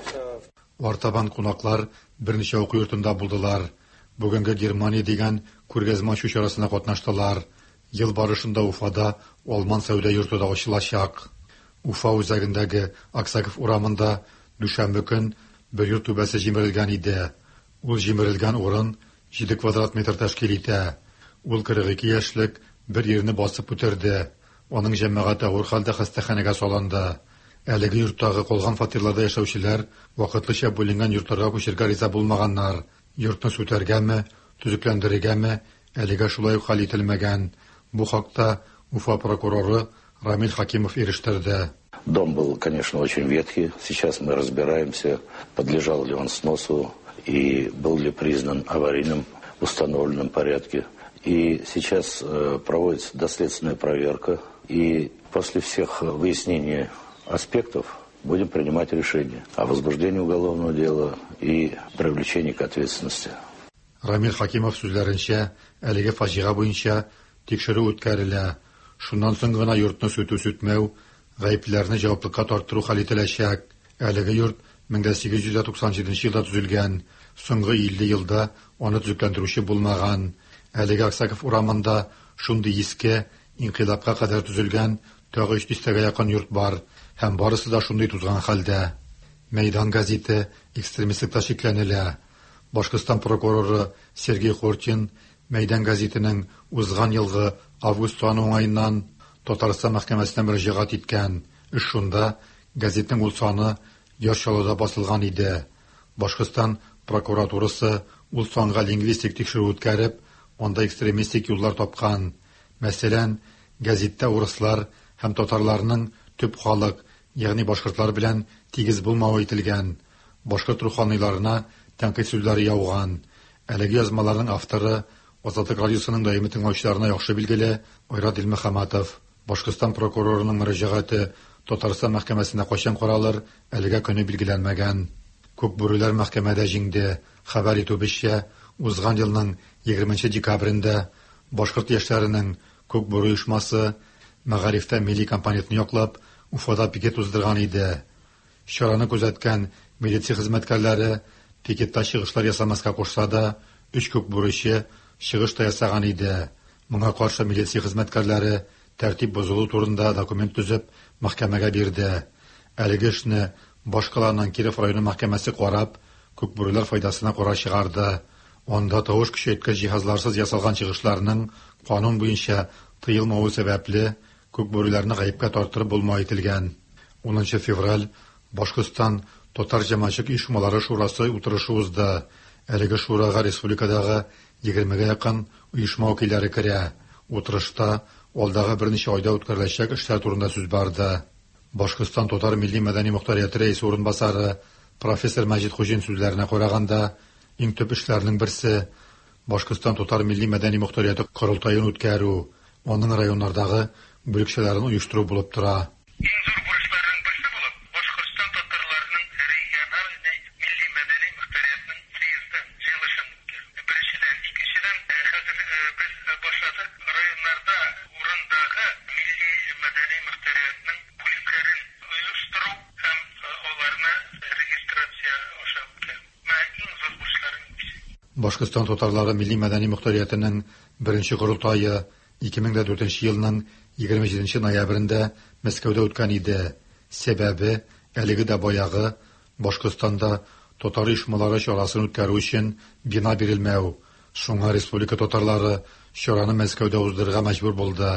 Артабан кунаклар берничә уку йортында булдылар. Бүгенге Германия дигән күргәзмә ачу чарасына катнаштылар. Ел барышында Уфада Алман сәүдә йорты да ачылачак. Уфа үзәгендәге Аксаков урамында дүшәмбе көн бер йорт түбәсе җимерелгән иде. Ул җимерелгән урын җиде квадрат метр тәшкил итә. Ул кырык ике яшьлек бер ирне басып үтерде. Аның җәмәгате авыр хәлдә хастаханәгә салынды. Әлеге йорттагы калган фатирларда яшәүчеләр вакытлыча бүленгән йортларга күчергә риза булмаганнар. Йортны сүтәргәме, төзекләндерергәме, әлегә шулай ук хәл ителмәгән. Бу хакта Уфа прокуроры Рамиль Хакимов ирештерде. Дом был, конечно, очень ветхий. Сейчас мы разбираемся, подлежал ли он сносу и был ли признан аварийным в установленном порядке. И сейчас проводится доследственная проверка. И после всех выяснений аспектов будем принимать решение о возбуждении уголовного дела и привлечении к ответственности. Рамиль Хакимов сүзләренчә, әлеге фаҗига буенча тикшерү үткәрелә. Шуннан соң гына йортны сүтү-сүтмәү, гаеплеләрне җаваплылыкка тарттыру хәл ителәчәк. Әлеге йорт мең сигез йөз туксан җиденче елда төзелгән. Соңгы илле елда аны төзекләндерүче булмаган. Әлеге Аксаков урамында шундый иске, инкыйлабка кадәр төзелгән тагы өч дистәгә якын йорт бар һәм барысы да шундый тузган хәлдә. Мәйдан газеты экстремистлыкта шикләнелә. Башкортстан прокуроры Сергей Хортин Мәйдан гәзитенең узган елгы август саны уңаеннан Татарстан мәхкәмәсенә мөрәҗәгать иткән. Эш шунда, гәзитнең ул саны Яр Чаллыда басылган иде. Башкортстан прокуратурасы ул санга лингвистик тикшерү үткәреп, анда экстремистик юллар тапкан. Мәсәлән, гәзиттә урыслар һәм татарларның төп халык, ягъни башкортлар белән тигез булмавы әйтелгән. Башкорт руханиларына тәнкыйть сүзләре яуган. Әлеге язмаларның авторы Азатлык радиосының даими тыңлаучыларына яхшы билгеле Айрат Илмөхәммәтов. Башкортстан прокурорының мөрәҗәгате Татарстан мәхкәмәсендә кайчан каралыр, әлегә көне билгеләнмәгән. Күк бүреләр мәхкәмәдә җиңде. Хәбәр итүебезчә, узган елның егерменче декабрендә башкорт яшьләренең Күк бүре оешмасы мәгарифтә милли компонентны яклап Уфада пикет уздырган иде. Чараны күзәткән милиция хезмәткәрләре пикетта чыгышлар ясамаска кушса да, өч күк бүрече чыгыш та ясаган иде. Моңа каршы милиция хезмәткәрләре тәртип бозылу турында документ төзеп мәхкәмәгә бирде. Әлеге эшне башкаланың Киров районы мәхкәмәсе карап, күк бүреләр файдасына карар чыгарды. Анда тавыш көчәйткеч җиһазларсыз ясалган чыгышларның канун буенча тыелмавы сәбәпле күк бүреләрне гаепкә тарттырып булмау әйтелгән. Унынчы февраль Башкортстан татар җәмәгатьчелек оешмалары шурасы утырышы узды. Әлеге шурага республикадагы егермегә якын оешма вәкилләре керә. Утырышта алдагы берничә айда үткәреләчәк эшләр турында сүз барды. Башкортстан татар милли мәдәни мохтарияте рәисе урынбасары профессор Мәҗит Хуҗин сүзләренә караганда, иң төп эшләрнең берсе Башкортстан татар милли мәдәни мохтарияте корылтаен үткәрү, аның районнардагы бүлекчәләрен оештыру булып тора. Иң зур бурычларның берсе булып Башкортстан татарларының региональ милли мәдәни мохтариятының съезды җыелышын үткәрү. Беренчедән, икенчедән, хәзер без башладык районнарда урындагы милли мәдәни мохтариятның бүлекләрен оештыру һәм аларны регистрация аша үткәрү. Менә иң зур бурычларның берсе. Башкортстан татарлары милли мәдәни мохтариятының беренче корылтае ике мең дә дүртенче елның егерме җиденче ноябрендә Мәскәүдә үткән иде. Сәбәбе әлеге дә баягы Башкортстанда татар оешмалары чарасын үткәрү өчен бина бирелмәү. Шуңа республика татарлары чараны Мәскәүдә уздырырга мәҗбүр булды.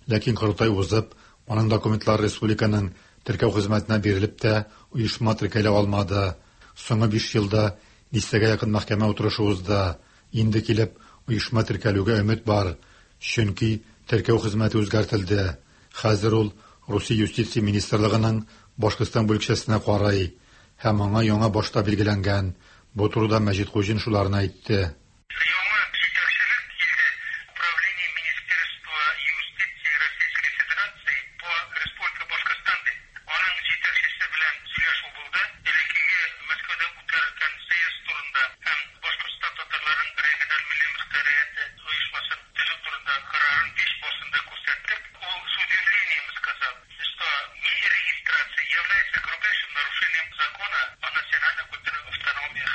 Ләкин корылтай узып, аның документлары республиканың теркәү хезмәтенә бирелеп тә оешма теркәлә алмады. Соңгы биш елда дистәгә якын мәхкәмә утырышы узды. Инде килеп оешма теркәлүгә өмет бар. Чөнки теркәү хезмәте үзгәртелде. Хәзер ул Русия юстиция министрлыгының Башкортстан бүлекчәсенә карый һәм аңа яңа башта билгеләнгән. Бу турыда Мәҗит Хуҗин шуларны әйтте. Яңа җитәкчелек килде. Управление Министерства юстиции Российской Федерации по Республика Башкортстан дип. Аның җитәкчесе белән сөйләшү булды. Элеккеге Мәскәүдә үткәрелгән съезд турында һәм Башкортстан татарларының региональ милли мохтарияте оешмасын төзү турында карарын биш басында күрсәттек. Ул с удивлением сказал, что нерегистрация является грубейшим нарушением закона о национальных культурных автономиях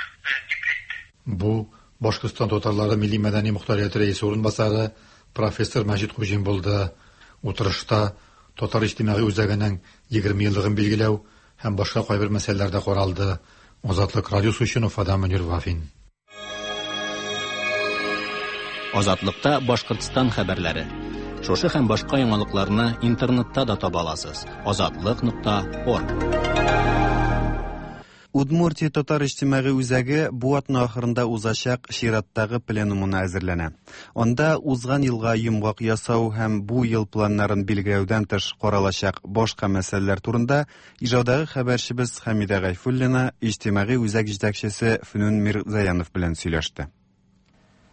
дип әйтте. Бу Башкортстан татарлары милли мәдәни мохтарияте рәисе урынбасары профессор Мәҗит Хуҗин булды. Утырышта Татар иҗтимагый үзәгенең егерме еллыгын билгеләү һәм башка кайбер мәсьәләләр дә каралды. Азатлык радиосы өчен Уфадан Мөнир Вафин. Азатлыкта Башкортстан хәбәрләре. Шушы һәм башка яңалыкларны интернетта да таба аласыз. Азатлык нокта орг. Удмуртия татар иҗтимагый үзәге бу атна ахырында узачак чираттагы пленумына әзерләнә. Анда узган елга йомгак ясау һәм бу ел планнарын билгеләүдән тыш каралачак башка мәсьәләләр турында Ижаудагы хәбәрчебез Хәмидә Гайфуллина иҗтимагый үзәк җитәкчесе Фөнүн Мирзаянов белән сөйләште.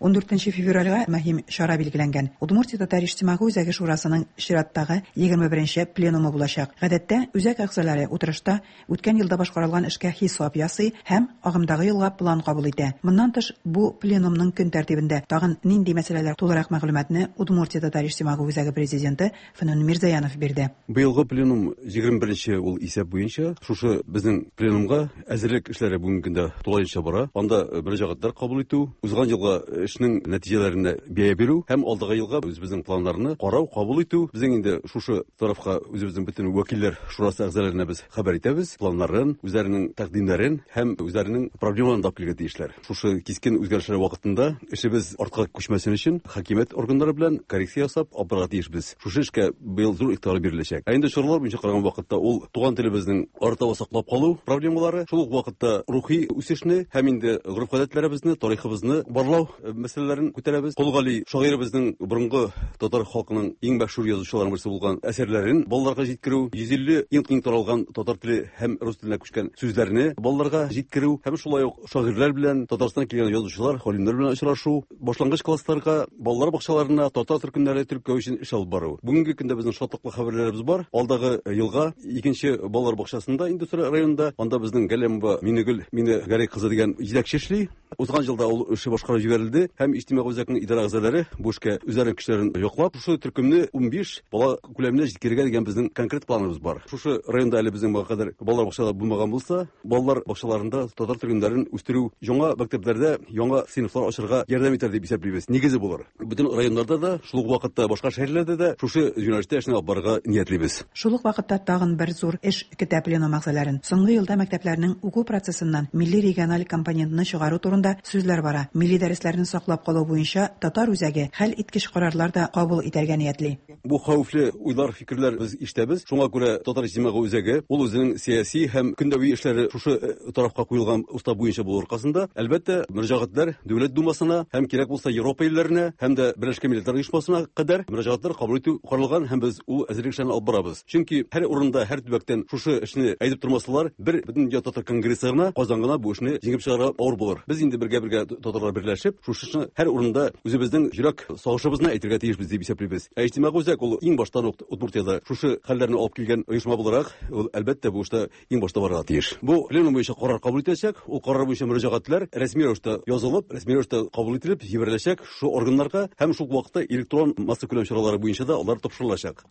Ун дүртенче февральгә мөһим чара билгеләнгән. Удмуртия татар иҗтимагый үзәге шурасының чираттагы егерме беренче пленумы булачак. Гадәттә, үзәк әгъзалары утырышта үткән елда башкарылган эшкә хисап ясый һәм агымдагы елга план кабул итә. Моннан тыш, бу пленумның көн тәртибендә тагын нинди мәсьәләләр тулырак мәгълүматны Удмуртия татар иҗтимагый үзәге президенты Фөнүн Мирзаянов бирде. Быелгы пленум егерме беренче ул исәп буенча шушы безнең пленумга әзерлек эшләре бүгенге көндә тулаенча бара. Анда мөрәҗәгатьләр кабул итү, узган елга эшнең нәтиҗәләренә бәя бирү һәм алдагы елга үзебезнең планнарны карау, кабул итү. Безнең инде шушы тарафка үзебезнең бөтен вәкилләр шурасы әгъзаларына без хәбәр итәбез, планнарын, үзләренең тәкъдимнәрен һәм үзләренең проблемаларын да килергә тиешләр. Шушы кискен үзгәрешләр вакытында эшебез артка күчмәсен өчен хакимият органнары белән коррекция ясап алып барырга тиешбез. Шушы эшкә быел зур игътибар биреләчәк. Ә инде чаралар буенча караган вакытта ул туган телебезнең арытаба саклап калу проблемалары, шул ук вакытта рухи үсешне һәм инде гореф-гадәтләребезне, тарихыбызны барлау мәсьәләләрен күтәрәбез. Кол Гали шагыйребезнең борынгы татар халкының иң мәшһүр язучыларының берсе булган әсәрләрен балаларга җиткерү, йөз илле иң киң таралган татар теле һәм рус теленә күчкән сүзләрне балаларга җиткерү һәм шулай ук шагыйрьләр белән Татарстаннан килгән язучылар, галимнәр белән очрашу, башлангыч классларга, балалар бакчаларына татар төркемнәре теркәү өчен эш алып бару. Бүгенге көндә безнең шатлыклы хәбәрләребез бар. Алдагы елга икенче балалар бакчасында Индустрия районында, анда безнең Галимова Минегөл Мине Гәрәй кызы дигән җитәкче эшли. Узган елда ул эше башкарып җибәрелде һәм иҗтимагый үзәкнең идарә әгъзалары бу эшкә үзләренең көчләрен яклап, шушы төркемне унбиш бала күләменә җиткерергә дигән безнең конкрет планыбыз бар. Шушы районда әле безнең моңа кадәр балалар бакчалары булмаган булса, балалар бакчаларында татар төркемнәрен үстерү, яңа мәктәпләрдә яңа сыйныфлар ачарга ярдәм итәр дип исәплибез. Нигезе булыр. Бөтен районнарда да, шул ук вакытта башка шәһәрләрдә дә шушы юнәлештә эшне алып барырга ниятлибез. Шул ук вакытта тагын бер зур эш көтә пленум әгъзаларын. Соңгы елда мәктәпләрнең уку процессыннан милли региональ компонентны чыгару турында сүзләр бара. Милли дәресләрне саклап калу буенча татар үзәге хәл иткеч карарлар да кабул итәргә ниятли. Бу хәвефле уйлар, фикерләр без ишетәбез. Шуңа күрә татар иҗтимагый үзәге ул үзенең сәяси һәм көндәви эшләре шушы тарафка куелган устав буенча булу аркасында, әлбәттә, мөрәҗәгатьләр Дәүләт Думасына һәм кирәк булса Европа илләренә һәм дә Берләшкән Милләтләр Оешмасына кадәр мөрәҗәгатьләр кабул итү каралган һәм без ул әзерлек эшләрен алып барабыз. Чөнки һәр урында, һәр төбәктән шушы эшне әйтеп тормасалар, бер Бөтендөнья татар конгрессы гына, Казан гына бу эшне җиңеп чыгарга авыр булыр. Без инде бергә-бергә татарлар берләшеп, шушы эшне һәр урында үзебезнең йөрәк сагышыбызны әйтергә тиешбез дип исәплибез. Ә иҗтимагый үзәк ул иң баштан ук Удмуртиядә шушы хәлләрне алып килгән оешма буларак, ул әлбәттә бу эштә иң башта барырга тиеш. Бу пленум буенча карар кабул ителәчәк, ул карар буенча мөрәҗәгатьләр рәсми рәвештә язылып, рәсми рәвештә кабул ителеп җибәреләчәк шу органнарга һәм шул вакытта электрон массакүләм чаралары буенча да алар тапшырылачак.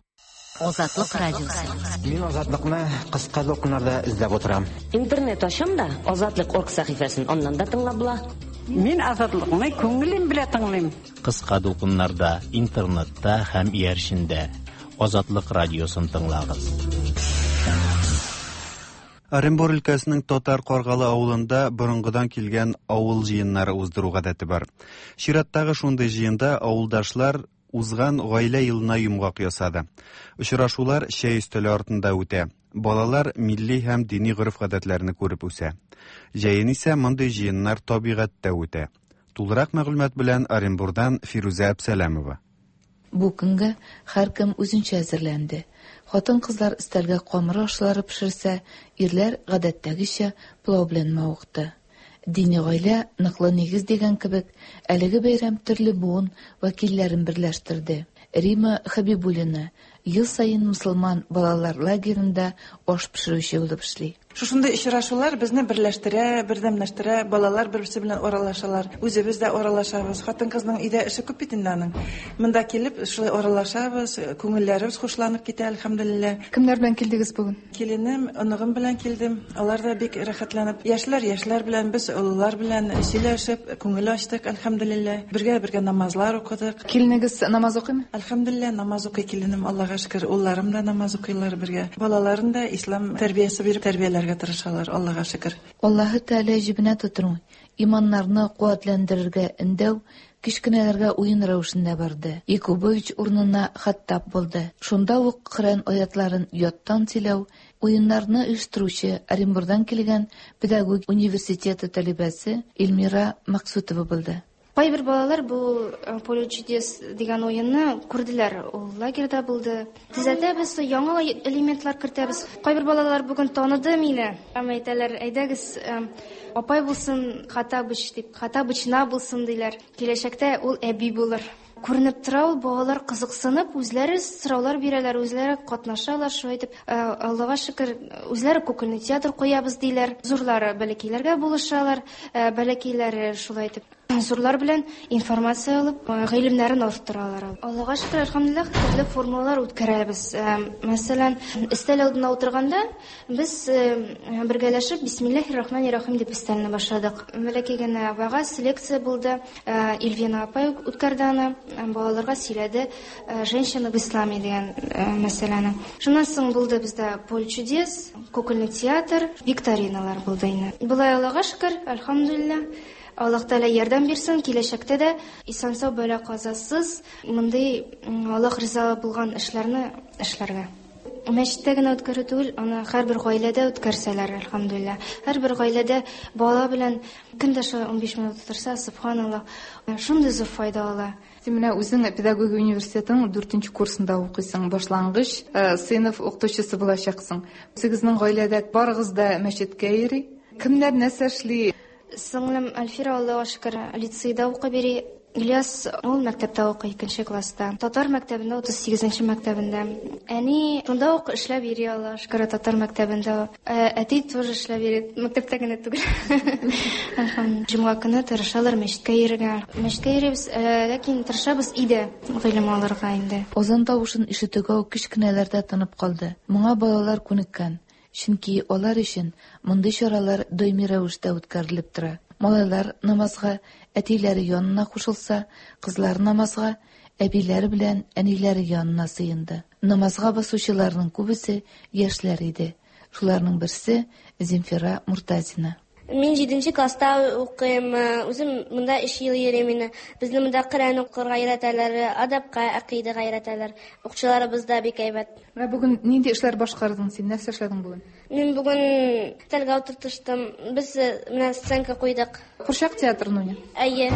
Азатлык радиосы. Мин Азатлыкны кыска дулкыннарда эзләп утырам. Интернет ачам да Азатлык орг сәхифәсен аннан да тыңлап була. Мин Азатлыкны күңелем белән тыңлыйм. Кыска дулкыннарда, интернетта һәм иярчендә Азатлык радиосын тыңлагыз. Оренбур өлкәсенең Татар Каргалы авылында борынгыдан килгән авыл җыеннары уздыру гадәте бар. Чираттагы шундый җыенда авылдашлар узган гаилә елына йомгак ясады. Очрашулар чәй өстәле артында үтә. Балалар милли һәм дини гореф-гадәтләрне күреп үсә. Җәен исә мондый җыеннар табигатьтә үтә. Тулырак мәгълүмат белән Оренбурдан Фирүзә Әбсәләмова. Бу көнгә һәркем үзенчә әзерләнде. Хатын-кызлар өстәлгә камыр ашлары пешерсә, ирләр гадәттәгечә пылау белән мавыкты. Дини гаилә ныклы нигез дигән кебек, әлеге бәйрәм төрле буын вәкилләрен берләштерде. Рима Хабибуллина ел саен мусульман балалар лагерында аш пешерүче булып эшли. Шушындый очрашулар безне берләштерә, бердәмләштерә, балалар бер-берсе белән аралашалар. Үзебез дә аралашабыз. Хатын-кызның өйдә эше күп бит инде аның. Монда килеп шулай аралашабыз, күңелләребез хушланып китә, әлхәмдүлилләһ. Кемнәр белән килдегез бүген? Киленем, оныгым белән килдем. Алар да бик рәхәтләнеп, яшьләр яшьләр белән, без олылар белән сөйләшеп, күңел ачтык, әлхәмдүлилләһ. Бергә-бергә намазлар укыдык. Киленегез намаз укыймы? Әлхәмдүлилләһ, намаз укый киленем, Аллага шөкер. Улларым да намаз укыйлар бергә. Балаларын да ислам тәрбиясе биреп тәрбияләргә тырышалар, Аллага шөкер. Аллаһы Тәгалә җебенә тотыну, иманнарны куәтләндерергә өндәү кечкенәләргә уен рәвешендә барды. Якубович урынына Хаттаб булды. Шунда ук Коръән аятларын яттан сөйләү, уеннарны оештыручы Оренбурдан килгән педагог университеты талибәсе Эльмира Максутова булды. Кайбер балалар бу Поле чудес дигән уенны күрделәр. Ул лагерьда булды. Төзәтәбез, яңа элементлар кертәбез. Кайбер балалар бүген таныды мине. Һәм әйтәләр, әйдәгез, апай булсын, Хаттабыч дип, Хаттабычна булсын диләр. Киләчәктә ул әби булыр. Күренеп тора ул, балалар кызыксынып, үзләре сораулар бирәләр, үзләре катнашалар, шулай итеп, Аллага шөкер, үзләре кукольный театр куябыз диләр. Зурлары бәләкәйләргә булышалар, бәләкәйләре шулай итеп Зурлар белән информация алып, гыйлемнәрен арттыралар. Аллага шөкер, әлхәмдүлилләһ, төрле формалар үткәрәбез. Мәсәлән, өстәл алдына утырганда без бергәләшеп Бисмиллаһир-рахманир-рахим дип өстәлне башладык. Бәләкәй генә вәгазь, лекция булды. Эльвина апай үткәрде аны, балаларга сөйләде «Женщина в исламе» дигән мәсьәләне. Шуннан соң булды бездә «Поле чудес», кукольный театр, викториналар булды инде. Болай Аллага шөкер, әлхәмдүлилләһ. Аллаһ Тәгалә ярдәм бирсен, киләчәктә дә исән-сау бәла казасыз мондый Аллаһ риза булган эшләрне эшләргә. Мәчеттә генә үткәрү түгел, аны һәрбер гаиләдә үткәрсәләр, әлхәмдүлилләһ. Һәрбер гаиләдә бала белән көн дә шулай унбиш минут утырса, субханаллаһ, шундый зур файда ала. Син менә үзең педагогия университетының дүртенче курсында укыйсың, башлангыч сыйныф укытучысы булачаксың. Үзегезнең гаиләдә барыгыз да мәчеткә йөри. Кемнәр нәрсә эшли? Сеңлем Альфира, Аллаһуга шөкер, лицейда укый бери. Ильяс ул мәктәптә укый, икенче класста. Татар мәктәбендә, утыз сигезенче мәктәбендә. Әни шунда ук эшләп йөри, Аллаһуга шөкер, татар мәктәбендә. Әти тоже эшләп йөри, мәктәптә генә түгел. Әлхәмдүлилләһ. Җомга көне тырышалар мәчеткә йөрергә. Мәчеткә йөрибез, ләкин тырышабыз өйдә гыйлем алырга инде. Азан тавышын ишетүгә үк кечкенәләр дә тынып калды. Моңа балалар күнеккән. Чөнки алар өчен мондый чаралар даими рәвештә үткәрелеп тора. Малайлар намазга әтиләре янына кушылса, кызлар намазга әбиләре белән әниләре янына сыенды. Намазга басучыларның күбесе яшьләр иде. Шуларның берсе Земфира Муртазина. Мин җиденче класста укыйм, үзем монда өч ел йөрим инде. Безне монда Коръән укырга өйрәтәләр, адабка, акыйдага өйрәтәләр. Укучыларыбыз да бик әйбәт. Менә бүген нинди эшләр башкардың син? Нәрсә эшләдең бүген? Мин бүген өстәлгә утыртыштым. Без менә сценка куйдык. Курчак театрын уйный? Әйе.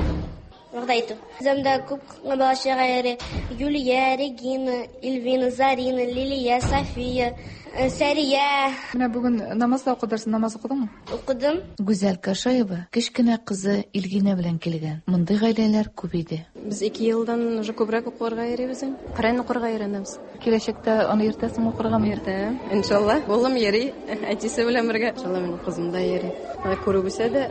Вәгъдә итү. Бездә күп бала чага йөри. Юлия, Регина, Эльвина, Зарина, Лилия, София, Сәрия. Менә бүген намаз да укыдырсың, намаз укыдыңмы? Укыдым. Гүзәл Кашаева кечкенә кызы Илгинә белән килгән. Мондый гаиләләр күп иде. Без ике елдан уже күбрәк укырга йөрибез. Коръән укырга өйрәнәбез. Киләчәктә аны иртәсең укыргамы? Иртә, иншалла. Улым йөри, әтисе белән бергә. Иншалла, минем кызым да йөри. Аны күреп үсә дә,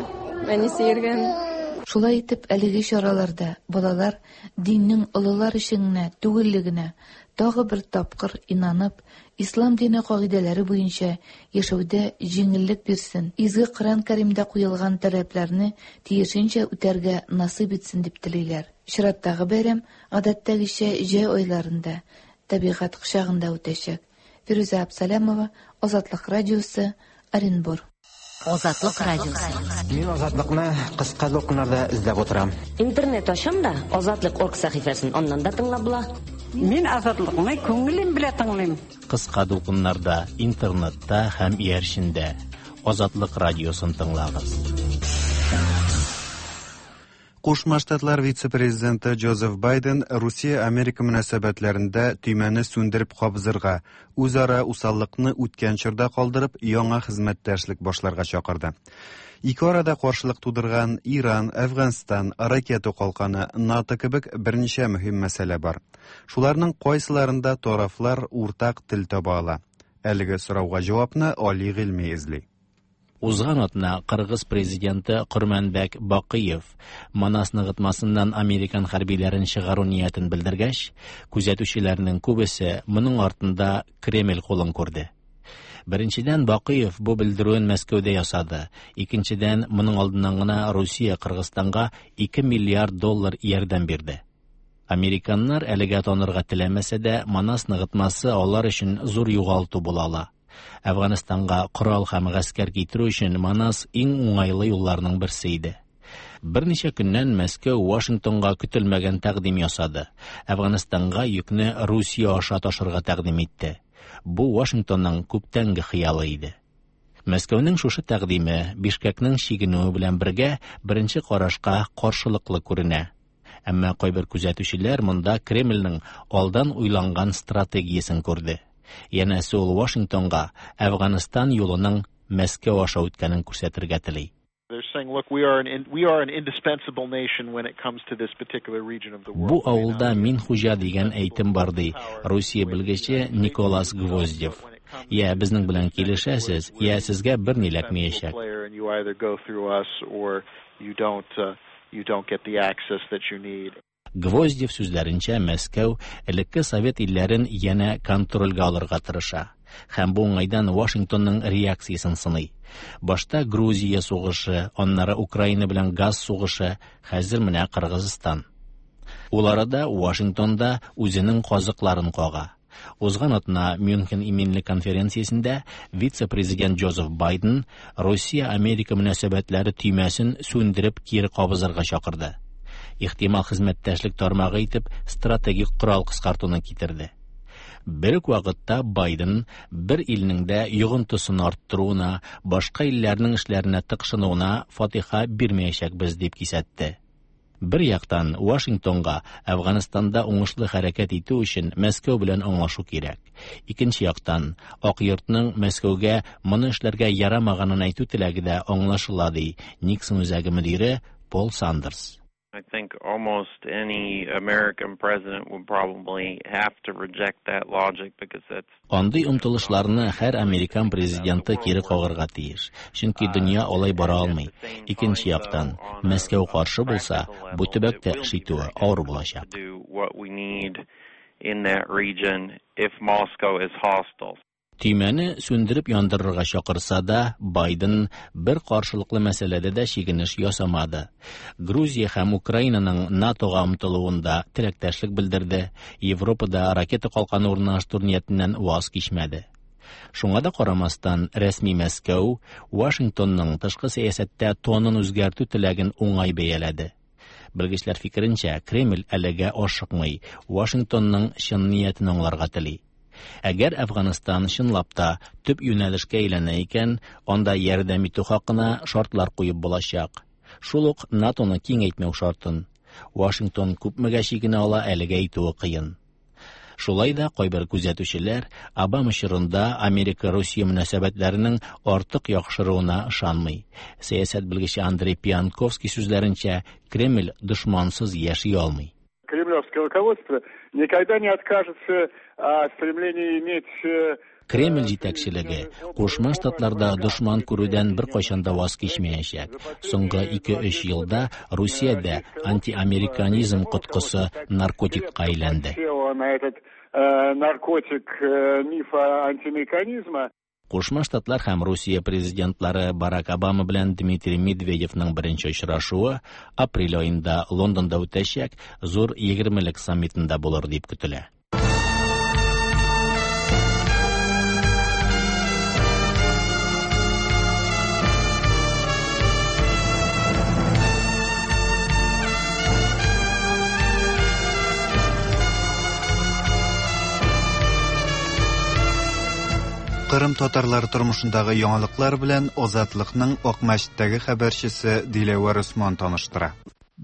әнисе йөргән. Шулай итеп, әлеге чараларда балалар диннең олылар өчен генә түгеллегенә тагы бер тапкыр инанып, ислам дине кагыйдәләре буенча яшәүдә җиңеллек бирсен, изге Коръән Кәримдә куелган таләпләрне тиешенчә үтәргә насыйп итсен дип телиләр. Чираттагы бәйрәм гадәттәгечә җәй айларында, табигать кочагында үтәчәк. Фирүзә Абсалямова, Азатлык радиосы, Оренбур. Азатлык радиосы. Мин Азатлыкны кыска дулкыннарда эзләп утырам. Интернет ачам да Азатлык орг сәхифәсен аннан да тыңлап була. Мин Азатлыкны күңелем белән тыңлыйм. Кыска дулкыннарда, интернетта һәм иярчендә Азатлык радиосын тыңлагыз. Кушма Штатлар вице-президенты Джозеф Байден Русия-Америка мөнәсәбәтләрендә төймәне сүндереп кабызырга, үзара усаллыкны үткән чорда калдырып, яңа хезмәттәшлек башларга чакырды. Ике арада каршылык тудырган Иран, Әфганстан, ракета калканы, НАТО кебек берничә мөһим мәсьәлә бар. Шуларның кайсыларында тарафлар уртак тел таба ала? Әлеге сорауга җавапны Али Гыйльми эзли. Узган атна Кыргыз президенты Курманбек Бакыев Манас ныгытмасыннан американ хәрбиләрен чыгару ниятен белдергәч, күзәтүчеләрнең күбесе моның артында Кремль кулын күрде. Беренчедән, Бакыев бу белдерүен Мәскәүдә ясады. Икенчедән, моның алдыннан гына Русия Кыргызстанга ике миллиард доллар ярдәм бирде. Американнар әлегә танырга теләмәсә дә, Манас ныгытмасы алар өчен зур югалту була ала. Әфганстанга корал һәм гаскәр китерү өчен Манас иң уңайлы юлларның берсе иде. Берничә көннән Мәскәү Вашингтонга көтелмәгән тәкъдим ясады. Әфганстанга йөкне Русия аша ташырга тәкъдим итте. Бу Вашингтонның күптәнге хыялы иде. Мәскәүнең шушы тәкъдиме Бишкекнең чигенүе белән бергә беренче карашка каршылыклы күренә. Әмма кайбер күзәтүчеләр монда Кремльнең алдан уйланган стратегиясен күрде. Янәсе ул Вашингтонга Әфганстан юлының Мәскәү аша үткәнен күрсәтергә тели. Бу авылда мин хуҗа дигән әйтем бар, ди Русия белгече Николас Гвоздев. Я безнең белән килешәсез, я сезгә берни эләкмәячәк. You don't get the access that you need. Гвоздев сүзләренчә, Мәскәү элекке совет илләрен янә контрольгә алырга тырыша һәм бу уңайдан Вашингтонның реакциясен сыный. Башта Грузия сугышы, аннары Украина белән газ сугышы, хәзер менә Кыргызстан. Ул арада Вашингтонда үзенең казыкларын кага. Узган атна Мюнхен иминлек конференциясендә вице-президент Джозеф Байден Россия-Америка мөнәсәбәтләре төймәсен сүндереп кире кабызырга чакырды. Ихтимал хезмәттәшлек тармагы итеп стратегик корал кыскартуны китерде. Бер үк вакытта Байден бер илнең дә йогынтысын арттыруына, башка илләрнең эшләренә тыкшынуына фатиха бирмәячәкбез дип кисәтте. Бер яктан Вашингтонга Әфганстанда уңышлы хәрәкәт итү өчен Мәскәү белән аңлашу кирәк. Икенче яктан Ак йортның Мәскәүгә моны эшләргә ярамаганын әйтү теләге дә аңлашыла, ди Никсон үзәге мөдире Пол Сандерс. I think almost any American president would probably have to reject that logic because that's Андый омтылышларны һәр американ президенты кире кагарга тиеш, чөнки дөнья алай бара алмый. Икенче яктан, Мәскәү каршы булса, бу төбәктә эш итүе авыр булачак. do what we need in that region if Moscow is hostile. Төймәне сүндереп яндырырга чакырса да, Байден бер каршылыклы мәсьәләдә дә чигенеш ясамады. Грузия һәм Украинаның НАТОга омтылуында теләктәшлек белдерде, Европада ракета калканы урнаштыру ниятеннән ваз кичмәде. Шуңа да карамастан, рәсми Мәскәү Вашингтонның тышкы сәясәттә тонын үзгәртү теләген уңай бәяләде. Белгечләр фикеренчә, Кремль әлегә ашыкмый, Вашингтонның чын ниятен аңларга тели. Әгәр Әфганстан чынлап та төп юнәлешкә әйләнә икән, анда ярдәм итү хакына шартлар куеп булачак. Шул ук НАТОны киңәйтмәү шартын. Вашингтон күпмегә чигенә ала, әлегә әйтүе кыен. Шулай да кайбер күзәтүчеләр Обама чорында Америка-Русия мөнәсәбәтләренең артык яхшыруына ышанмый. Сәясәт белгече Андрей Пианковский сүзләренчә, Кремль дошмансыз яши алмый. Кремлевское руководство никогда не откажется от стремления иметь Кремль җитәкчелеге Кушма Штатларда дошман күрүдән беркайчан да ваз кичмәячәк. Соңгы ике-өч елда Русиядә антиамериканизм коткысы наркотикка әйләнде. на этот э, наркотик э, мифа антиамериканизма. Кушма Штатлар һәм Русия президентлары Барак Обама белән Дмитрий Медведевның беренче очрашуы апрель аенда Лондонда үтәчәк зур егермелек саммитында булыр дип көтелә. Кырым татарлары тормышындагы яңалыклар белән Азатлыкның Акмәчеттәге хәбәрчесе Диләвәр Усман таныштыра.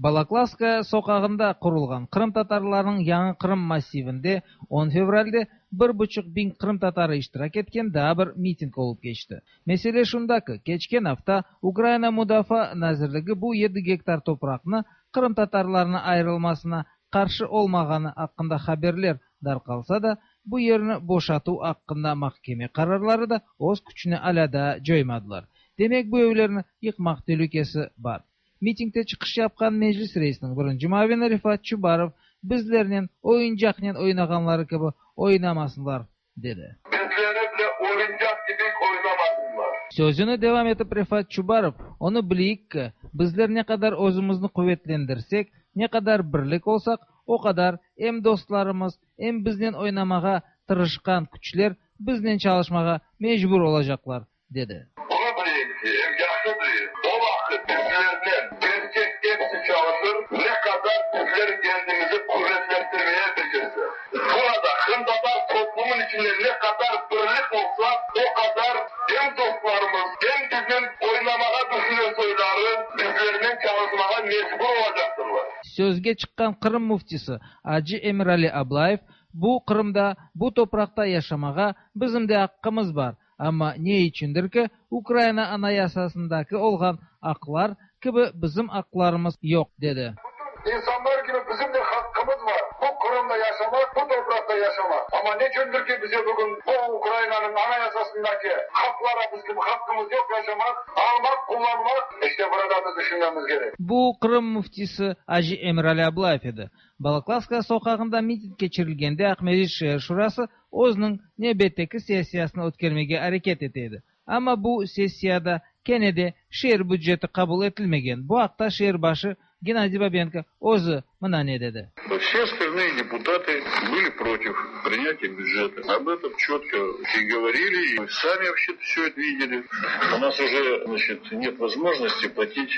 Балаклавская соқағында құрылған Қырым татарларының яңы Қырым массивінде он февральде bir buçuk bin Qırım tatarı iştirak etken daha bir miting olup geçti. Mesele şundaki, keçken hafta Ukrayna Müdafaa Nazirligi bu yedi gektar toprakны Qırım tatarlarına ayrılmasına qarşı olmağanı hakkında haberler darqalsa da, bu yerini boşatу hakkında mahkeme kararları da öz küçünü ala da joymadılar. Demek bu evlerini yıkmak tehlikesi var. Mitingde çıkış yapkan meclis reisinin birinci muavini Rifat Çubarov bizlerle oyuncakla oynağanları gibi oynamasınlar dedi. Bizlerle oyuncak gibi oynamasınlar. Sözünü devam etip Rifat Çubarov, onu bileyik ki bizler ne kadar özümüzni kuvvetlendirsek, ne kadar birlik olsak, o kadar hem dostlarımız, hem bizden oynamağa tırışkan küçler bizden çalışmağa mecbur olacaklar dedi. Bunu bileyim ki, hem yaxşı bileyim, o vakit bizlerle gerçek hepsi çalışır, ne kadar bizler kendimizi kuvvetlendirmeye becerse. Burada Kırımtatar toplumun içinde ne kadar birlik olsa, o kadar hem dostlarımız, hem bizim oynamağa düşünen soyları bizlerle çalışmağa mecbur olacaktırlar. Sözge çıkan Kırım muftisi Acı Emirali Ablayev, bu Kırım'da, bu toprakta yaşamağa bizim de hakkımız var. Ama ne içindir ki Ukrayna anayasasındaki olgan haklar gibi bizim haklarımız yok dedi. İnsanlar gibi bizim de hakkımız var. Bu Kırım'da yaşamak, bu toprakta yaşamak. Ama ne çündür ki bize bugün bu Ukrayna'nın anayasasındaki haklara bizim hakkımız yok yaşamak, almak, kullanmak. İşte burada da düşünmemiz gerek. Bu Qırım müftisi Acı Emirali Ablayev edi. Balaklавская soqağında miting keçirilgende Aqmescit şeer şurası özüniñ nevbetteki sessiyasını ötkermege areket ete edi. Amma bu sessiyada kene de şeer büceti qabul etilmegen. Bu aqta şeer başı Геннадий Бабенко özü mına ne dedi. Все остальные депутаты были против принятия бюджета. Об этом четко и говорили, и сами вообще все это видели. У нас уже, значит, нет возможности платить,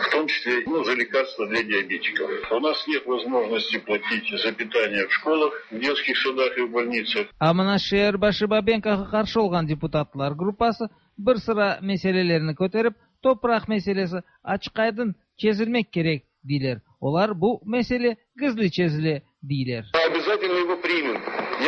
в том числе, ну, за лекарства для диабетиков. У нас нет возможности платить за питание в школах, в детских садах и в больницах. А mına şeer başı Babenkoğa qarşı olğan deputatlar gruppası bir sıra meselelerini köterip, topraq meselesi açıq-aydın çezilmek kerek, deyler. Olar bu mesele gizli çezile, deyler. Обязательно его примем.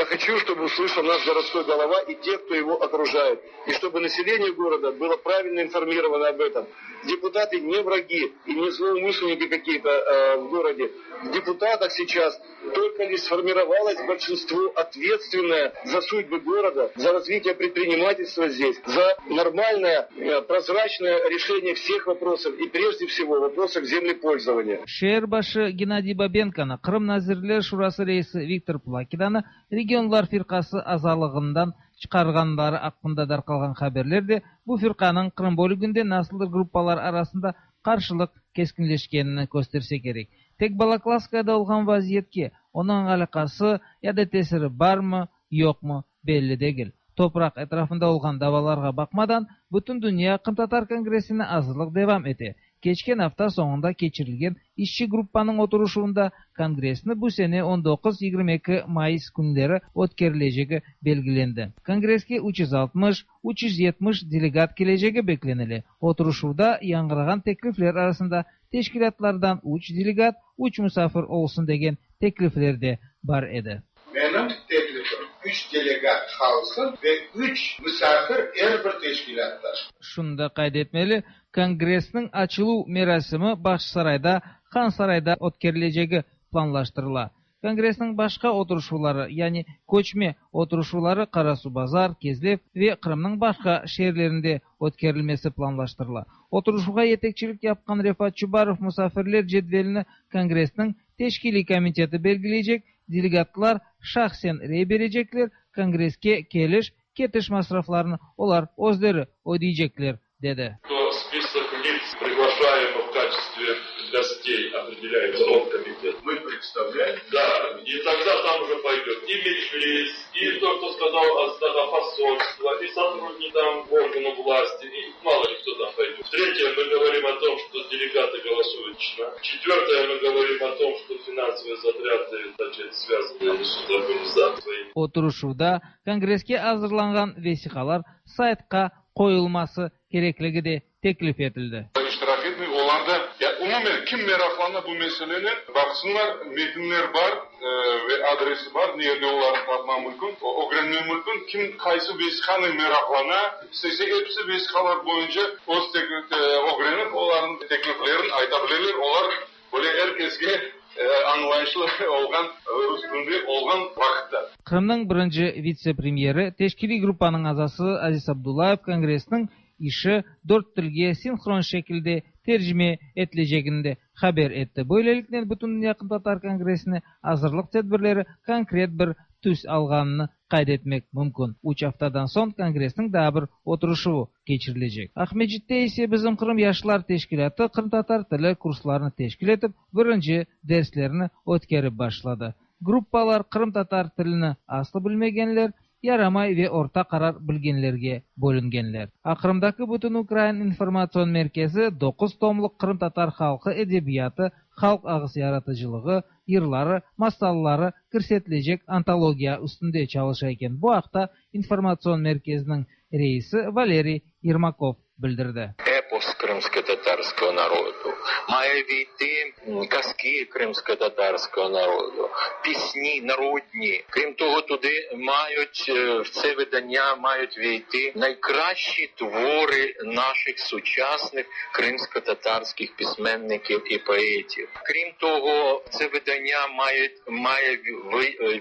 Я хочу, чтобы услышал наш городской голова и те, кто его окружает. И чтобы население города было правильно информировано об этом. Депутаты не враги и не злоумышленники какие-то э, в городе. В депутатах сейчас только лишь сформировалось большинство, ответственное за судьбы города, за развитие предпринимательства здесь, за нормальное, э, прозрачное решение всех вопросов и прежде всего вопросов землепользования. Şeer başı Геннадий Бабенконı Qırım Nazirler Şurası reisi Viktor Plakidanı Regionlar firqası azalığından çıqarğanları aqqında darqalğan haberler de bu firqanıñ Qırım bölüginde nasıldır gruppalar arasında qarşılıq keskinleşkenini kösterse kerek. Tek Balaklавскаяda olğan vaziyetke onıñ alâqası ya da tesiri barmı, yoqmı belli degil. Topraq etrafında olğan davalarğa baqmadan Bütündünya Qırımtatar Kongressine azırlıq devam ete. Keçken afta soñunda keçirilgen işçi gruppanıñ oturışuvında Kongressni bu sene on doquz yigirmi eki mayıs künleri ötkerilecegi belgilendi. Kongresske üç yüz altmış üç yüz yetmiş delegat kelecegi beklenile. Oturışuvda yañğırağan teklifler arasında teşkilâtlardan üç delegat, üç musafir olsun degen teklifler de bar edi. Menim teklifim üç delegat qalsın ve üç misafir er bir teşkilâtta. Şunı da qayd etmeli, Kongressniñ açıluv merasimi Bağçasarayda, Hansarayda ötkerilecegi planlaştırıla. Kongressniñ başqa oturışuvları, yani köçme oturışuvları Qarasuvbazar, Kezlev ve Qırımnıñ başqa şeerlerinde ötkerilmesi planlaştırıla. Oturışuvğa yetekçilik yapqan Refat Çubarov musafirler cedvelini Kongressniñ teşkiliy komiteti belgileycek, delegatlar şahsen rey berecekler, Kongresske keliş, ketiş masraflarını olar özleri ödeycekler, dedi. Список лиц, приглашаемых в качестве гостей, определяет оргкомитет. Мы представляем. Да, и тогда там уже пойдет и Меджлис, и то, кто сказал от посольства, и сотрудники там органов власти, и мало ли кто там пойдет. Третье, мы говорим о том, что делегаты голосуют лично. Четвертое, мы говорим о том, что финансовые затраты, значит, связаны с организацией. Oturışuvda Kongresske azırlanğan vesiqalar saytqa qoyulması kerekligi de teklif etildi. İştirak etmey, olar da, ya umumen kim meraqlana bu meselenen, baqsınlar, metinler bar e, ve adresi bar, nerde olarnı tapmaq mümkün, ögrenmek mümkün, kim qaysı vesiqanen meraqlana, istese episi vesiqalar boyunca öz ögrenip, olarnıñ tekliflerini ayta bileler, olar böyle er keske añlayışlı olğan, üstünde olğan vaqıtta. Qırımnıñ birinci vitse-premyeri, teşkiliy gruppanıñ azası Aziz Abdullayev Kongressniñ işi dört tilge sinhron şekilde tercime etilecegini de haber etti. Böyleliknen Bütündünya Qırımtatar Kongressine azırlıq tedbirleri konkret bir tüs alğanını qayd etmek mümkün. Üç aftadan soñ Kongressniñ daa bir oturışuvı keçirilecek. Aqmescitte ise Bizim Qırım yaşlar teşkilâtı qırımtatar tili kurslarını teşkil etip, birinci derslerini ötkerip başladı. Gruppalar qırımtatar tilini aslı bilmegenler, yaramay ve orta qarar bilgenlerge bölüngenler. Qırımdaki Bütünukrain informatsion merkezi doquz tomluq qırımtatar halqı edebiyatı, halq ağız yaratıcılığı, yırları, masalları kirsetilecek antologiya üstünde çalışa eken. Bu aqta informatsion merkeziniñ reisi Valeriy Yermakov bildirdi. Епос кримськотатарського народу, має війти казки кримськотатарського народу, пісні народні. Крім того, туди мають, в це видання мають війти найкращі твори наших сучасних кримськотатарських письменників і поетів. Крім того, в це видання має, має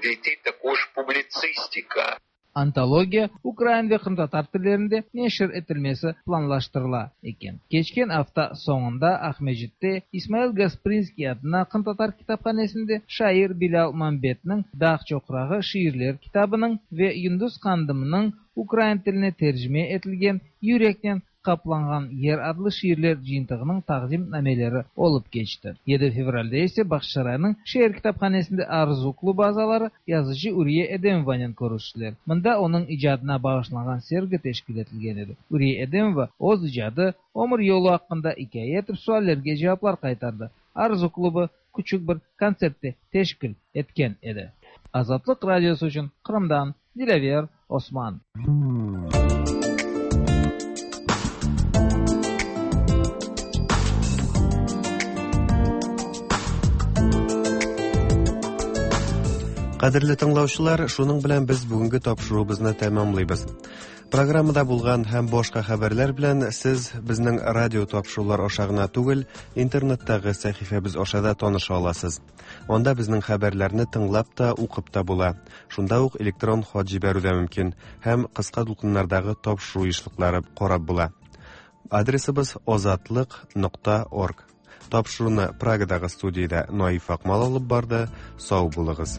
війти також публіцистика. Antologiya ukrain ve qırımtatar tillerinde neşir etilmesi planlaştırıla eken. Keçken afta soñunda Aqmescitte İsmail Gasprinskiy adına qırımtatar kitaphanesinde şair Bilâl Mambetniñ Dağ çoqrağı şiirler kitabınıñ ve Yundus Qandımnıñ ukrain tiline tercime etilgen Yürekten qaplanğan yer adlı şiirler cıyıntığınıñ taqdimnameleri olıp keçti. yedi fevralde ise Bağçasaraynıñ şeer kitaphanesinde Arzu klubı azaları yazıcı Uriye Edemovanen körüştiler. Mında onıñ icadına bağışlanğan sergi teşkil etilgen edi. Uriye Edemova öz icadı, ömür yolu aqqında ikâye etip suallerge cevaplar qaytardı. Arzu klubı küçük bir kontsert de teşkil etken edi. Azatlıq Radiosı içün Qırımdan Dilâver Osman. Кадерле тыңлаучылар, шуның белән без бүгенге тапшыруыбызны тәмамлыйбыз. Программада булган һәм башка хәбәрләр белән сез безнең радио тапшырулар аша гына түгел, интернеттагы сәхифәбез аша да таныша аласыз. Анда безнең хәбәрләрне тыңлап та, укып та була. Шунда ук электрон хат җибәрү дә мөмкин һәм кыска дулкыннардагы тапшыру ешлыклары карап була. Адресыбыз озатлык нокта орг. Тапшыруны Прагадагы студиядә Наиф Акмал алып барды. Сау булыгыз.